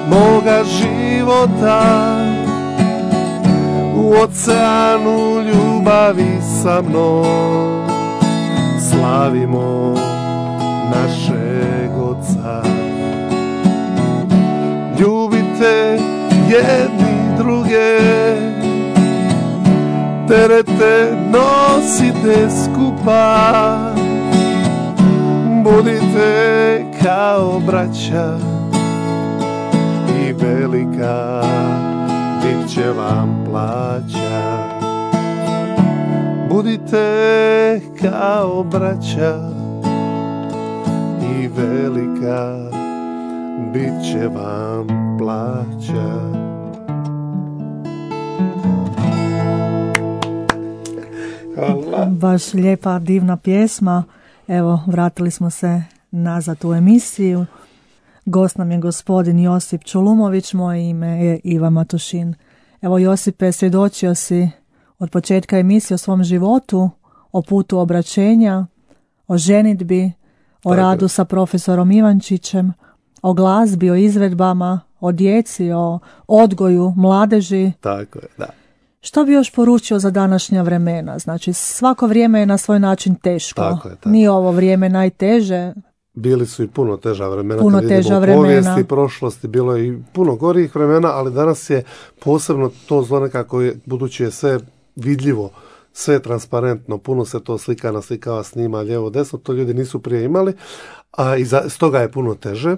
[SPEAKER 2] moga života, u oceanu ljubavi sa mnom slavimo našeg Oca. Ljubite jedni druge, terete nosite skupa, budite kao braća i velika bit će vam plaća. Budite kao braća i velika bit će vam plaća. Hvala.
[SPEAKER 1] Baš lijepa, divna pjesma. Evo, vratili smo se nazad u emisiju. Gost nam je gospodin Josip Čulumović, moje ime je Iva Matošin. Evo, Josipe, svjedočio si od početka emisije o svom životu, o putu obraćenja, o ženidbi, o
[SPEAKER 2] Tako.
[SPEAKER 1] radu sa profesorom Ivančićem, o glazbi, o izvedbama, o djeci, o odgoju mladeži.
[SPEAKER 2] Tako je, da.
[SPEAKER 1] Što bi još poručio za današnja vremena? Znači, svako vrijeme je na svoj način teško.
[SPEAKER 2] Tako je, tako.
[SPEAKER 1] Nije ovo vrijeme najteže.
[SPEAKER 2] Bili su i puno teža vremena,
[SPEAKER 1] Puno
[SPEAKER 2] kad vidimo
[SPEAKER 1] teža
[SPEAKER 2] u
[SPEAKER 1] vremena.
[SPEAKER 2] povijesti, prošlosti, bilo je i puno gorijih vremena, ali danas je posebno to zlo nekako, je, budući je sve vidljivo, sve je transparentno, puno se to slika, naslikava, snima, lijevo, desno, to ljudi nisu prije imali, a i za, stoga je puno teže,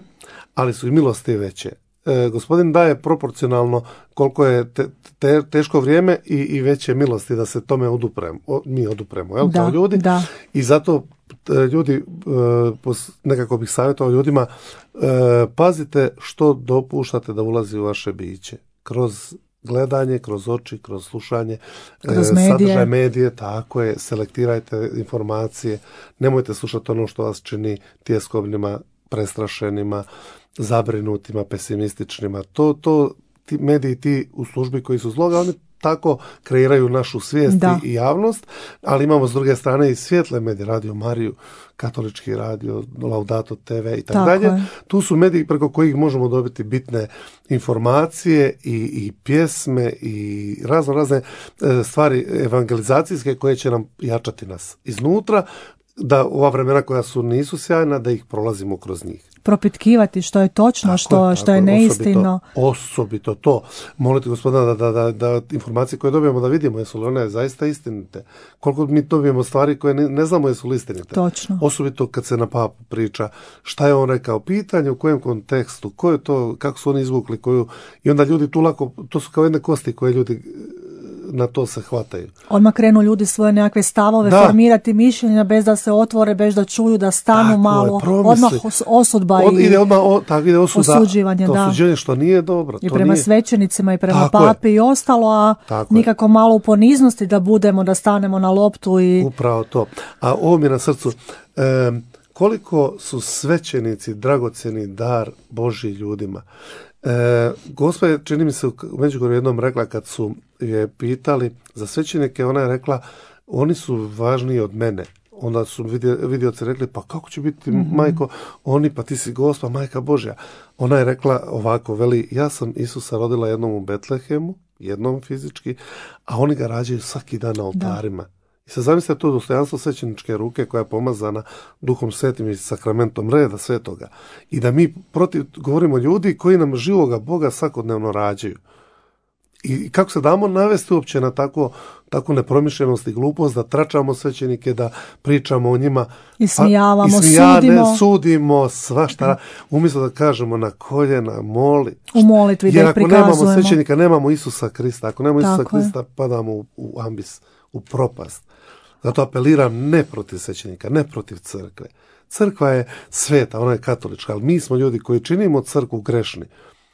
[SPEAKER 2] ali su i milosti veće. E, gospodin daje proporcionalno koliko je te, te, teško vrijeme i, i veće milosti da se tome odupremo, o, mi odupremo, jel,
[SPEAKER 1] Da,
[SPEAKER 2] kao ljudi.
[SPEAKER 1] da.
[SPEAKER 2] I zato e, ljudi, e, pos, nekako bih savjetovao ljudima, e, pazite što dopuštate da ulazi u vaše biće. Kroz gledanje, kroz oči, kroz slušanje,
[SPEAKER 1] Kroz
[SPEAKER 2] e,
[SPEAKER 1] medije.
[SPEAKER 2] sadržaj medije, tako je, selektirajte informacije, nemojte slušati ono što vas čini tjeskobnima, prestrašenima, zabrinutima, pesimističnima. To, to ti mediji, ti u službi koji su zloga, oni tako kreiraju našu svijest
[SPEAKER 1] Da.
[SPEAKER 2] i javnost, ali imamo s druge strane i svijetle medije, Radio Mariju, Katolički radio, Laudato te ve i tako
[SPEAKER 1] Tako
[SPEAKER 2] dalje.
[SPEAKER 1] je.
[SPEAKER 2] Tu su mediji preko kojih možemo dobiti bitne informacije i, i pjesme i razno razne e, stvari evangelizacijske koje će nam jačati nas iznutra, da ova vremena koja su nisu sjajna, da ih prolazimo kroz njih.
[SPEAKER 1] Propitkivati što je točno,
[SPEAKER 2] Tako
[SPEAKER 1] što,
[SPEAKER 2] je,
[SPEAKER 1] što
[SPEAKER 2] tako
[SPEAKER 1] je
[SPEAKER 2] je,
[SPEAKER 1] neistino.
[SPEAKER 2] Osobito, osobito to. Moliti Gospodina da, da, da, da informacije koje dobijemo da vidimo jesu li one zaista istinite. Koliko mi dobijemo stvari koje ne, ne znamo jesu li istinite.
[SPEAKER 1] Točno.
[SPEAKER 2] Osobito kad se na papu priča šta je on rekao, pitanje u kojem kontekstu, ko je to, kako su oni izvukli, koju, i onda ljudi tu lako, to su kao jedne kosti koje ljudi na to se hvataju.
[SPEAKER 1] Odmah krenu ljudi svoje nekakve stavove
[SPEAKER 2] Da.
[SPEAKER 1] formirati mišljenja bez da se otvore, bez da čuju, da stanu
[SPEAKER 2] Tako
[SPEAKER 1] malo.
[SPEAKER 2] je, promisli.
[SPEAKER 1] Odmah os- osudba
[SPEAKER 2] Od,
[SPEAKER 1] i,
[SPEAKER 2] ide odmah, o, tako ide osuda,
[SPEAKER 1] osuđivanje,
[SPEAKER 2] to
[SPEAKER 1] da.
[SPEAKER 2] osuđivanje što nije dobro.
[SPEAKER 1] i
[SPEAKER 2] to
[SPEAKER 1] prema
[SPEAKER 2] nije.
[SPEAKER 1] svećenicima i prema
[SPEAKER 2] Tako je.
[SPEAKER 1] papi i ostalo, a
[SPEAKER 2] Tako je.
[SPEAKER 1] nikako malo u poniznosti da budemo, da stanemo na loptu i
[SPEAKER 2] Upravo to. A ovo mi je na srcu. em, koliko su svećenici dragocjeni dar Božji ljudima. E, Gospa je, čini mi se, u Međugorju jednom rekla kad su je pitali za svećenike, ona je rekla oni su važniji od mene. onda su vidioci rekli, pa kako će biti, mm-hmm. majko, oni, pa ti si gospa, majka Božja. Ona je rekla ovako, veli, ja sam Isusa rodila jednom u Betlehemu, jednom fizički, a oni ga rađaju svaki dan na oltarima. Da. I sad zamislite to dostojanstvo svećeničke ruke koja je pomazana Duhom Svetim i sakramentom reda svetoga. I da mi protiv govorimo ljudi koji nam živoga Boga svakodnevno rađaju. I kako se damo navesti uopće na tako, tako nepromišljenost i glupost, da tračamo svećenike, da pričamo o njima.
[SPEAKER 1] I smijavamo,
[SPEAKER 2] i smijane,
[SPEAKER 1] sudimo.
[SPEAKER 2] Sudimo, svašta. Umjesto da kažemo na koljena, moli.
[SPEAKER 1] U molitvi da ih prikazujemo.
[SPEAKER 2] Jer ako nemamo svećenika, nemamo Isusa Krista. Ako nemamo Isusa
[SPEAKER 1] tako
[SPEAKER 2] Krista,
[SPEAKER 1] je.
[SPEAKER 2] padamo u, u ambis, u propast. Zato apeliram ne protiv svećenika, ne protiv crkve. Crkva je sveta, ona je katolička, ali mi smo ljudi koji činimo crkvu grešni.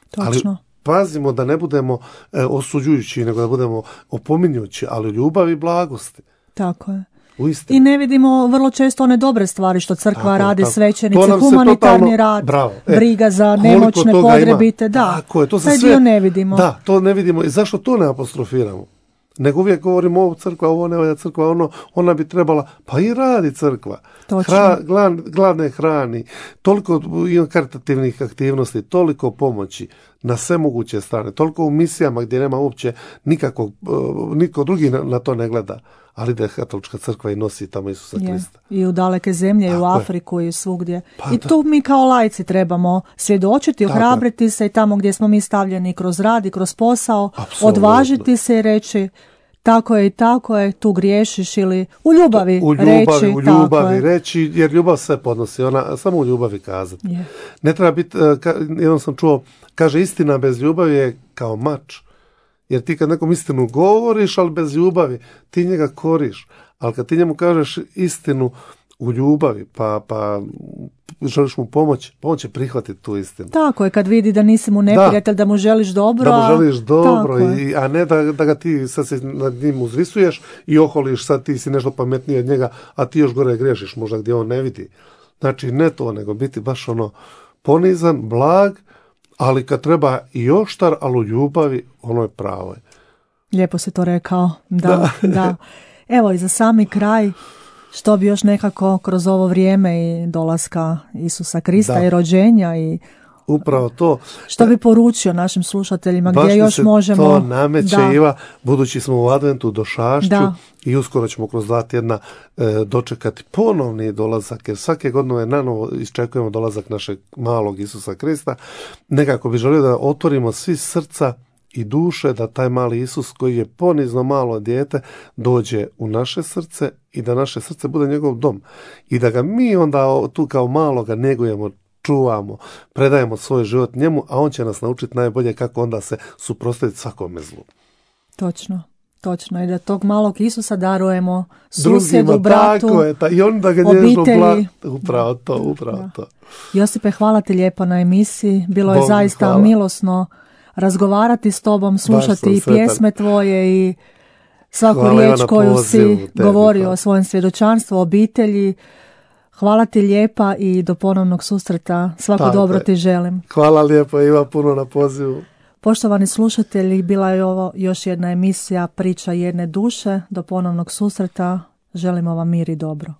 [SPEAKER 1] Točno.
[SPEAKER 2] Ali pazimo da ne budemo e, osuđujući, nego da budemo opominjući, ali ljubavi i blagosti.
[SPEAKER 1] Tako je.
[SPEAKER 2] Uistinu.
[SPEAKER 1] I ne vidimo vrlo često one dobre stvari što crkva
[SPEAKER 2] tako,
[SPEAKER 1] radi,
[SPEAKER 2] tako.
[SPEAKER 1] svećenici, humanitarni totalno, rad,
[SPEAKER 2] bravo, e,
[SPEAKER 1] briga za nemoćne, potrebite. Da,
[SPEAKER 2] tako je, to
[SPEAKER 1] taj
[SPEAKER 2] sve,
[SPEAKER 1] dio ne vidimo.
[SPEAKER 2] Da, to ne vidimo. I zašto to ne apostrofiramo? Nego uvijek govorimo ovo crkva, ovo ne valja crkva, ono, ona bi trebala, pa i radi crkva. Hra, glad, gladne hrani, toliko karitativnih aktivnosti, toliko pomoći na sve moguće strane, toliko u misijama gdje nema uopće nikakvog, niko drugi na, na to ne gleda, ali da je katolička crkva i nosi tamo Isusa
[SPEAKER 1] je.
[SPEAKER 2] Krista.
[SPEAKER 1] I u daleke zemlje, tako i u Afriku je. I svugdje.
[SPEAKER 2] Pa
[SPEAKER 1] I
[SPEAKER 2] da.
[SPEAKER 1] tu mi kao laici trebamo svjedočiti, ohrabriti se i tamo gdje smo mi stavljeni kroz rad i kroz posao,
[SPEAKER 2] apsolutno.
[SPEAKER 1] Odvažiti se i reći tako je i tako je, tu griješiš ili u ljubavi,
[SPEAKER 2] u ljubavi
[SPEAKER 1] reći.
[SPEAKER 2] U ljubavi reći, jer ljubav sve podnosi, ona samo u ljubavi kazati.
[SPEAKER 1] Je.
[SPEAKER 2] Ne treba biti, jednom sam čuo, kaže istina bez ljubavi je kao mač. Jer ti kad nekom istinu govoriš, ali bez ljubavi, ti njega koriš. Ali kad ti njemu kažeš istinu u ljubavi, pa, pa želiš mu pomoći, pomoć će prihvatiti tu istinu.
[SPEAKER 1] Tako je, kad vidi da nisi mu neprijatelj, da, da mu želiš dobro.
[SPEAKER 2] Da mu želiš dobro, i, a ne da, da ga ti sad se nad njim uzvisuješ i oholiš, sad ti si nešto pametniji od njega, a ti još gore griješiš možda gdje on ne vidi. Znači ne to, nego biti baš ono ponizan, blag, ali kad treba i oštar, ali u ljubavi, ono je pravo.
[SPEAKER 1] Lijepo si to rekao, da, da. da. Evo i za sami kraj, što bi još nekako kroz ovo vrijeme i dolaska Isusa Krista da. I rođenja i
[SPEAKER 2] upravo to.
[SPEAKER 1] Što bi poručio našim slušateljima,
[SPEAKER 2] baš
[SPEAKER 1] gdje još
[SPEAKER 2] se
[SPEAKER 1] možemo...
[SPEAKER 2] to nameće,
[SPEAKER 1] da.
[SPEAKER 2] Iva, budući smo u adventu došašću
[SPEAKER 1] da.
[SPEAKER 2] I uskoro ćemo kroz dva tjedna e, dočekati ponovni dolazak, jer svake godine nanovo iščekujemo dolazak našeg malog Isusa Krista. Nekako bi želio da otvorimo svi srca i duše, da taj mali Isus koji je ponizno malo dijete dođe u naše srce i da naše srce bude njegov dom. I da ga mi onda tu kao maloga negujemo, čuvamo, predajemo svoj život njemu, a on će nas naučiti najbolje kako onda se suprotstaviti svakome zlu.
[SPEAKER 1] Točno, točno. I da tog malog Isusa darujemo susjedu,
[SPEAKER 2] drugima,
[SPEAKER 1] bratu,
[SPEAKER 2] tako je, ta, i on da ga nježno bla... Upravo to, upravo da. To.
[SPEAKER 1] Josipe, hvala ti lijepo na emisiji. Bilo je
[SPEAKER 2] Bog,
[SPEAKER 1] zaista
[SPEAKER 2] hvala.
[SPEAKER 1] milosno razgovarati s tobom, slušati i pjesme tvoje i svaku
[SPEAKER 2] hvala
[SPEAKER 1] riječ koju
[SPEAKER 2] pozivu,
[SPEAKER 1] si govorio o svojem svjedočanstvu, o obitelji. Hvala ti lijepa i do ponovnog susreta. Svako tako dobro je. Ti želim.
[SPEAKER 2] Hvala lijepo, Iva, puno na pozivu.
[SPEAKER 1] Poštovani slušatelji, bila je ovo još jedna emisija Priča jedne duše. Do ponovnog susreta. Želimo vam mir i dobro.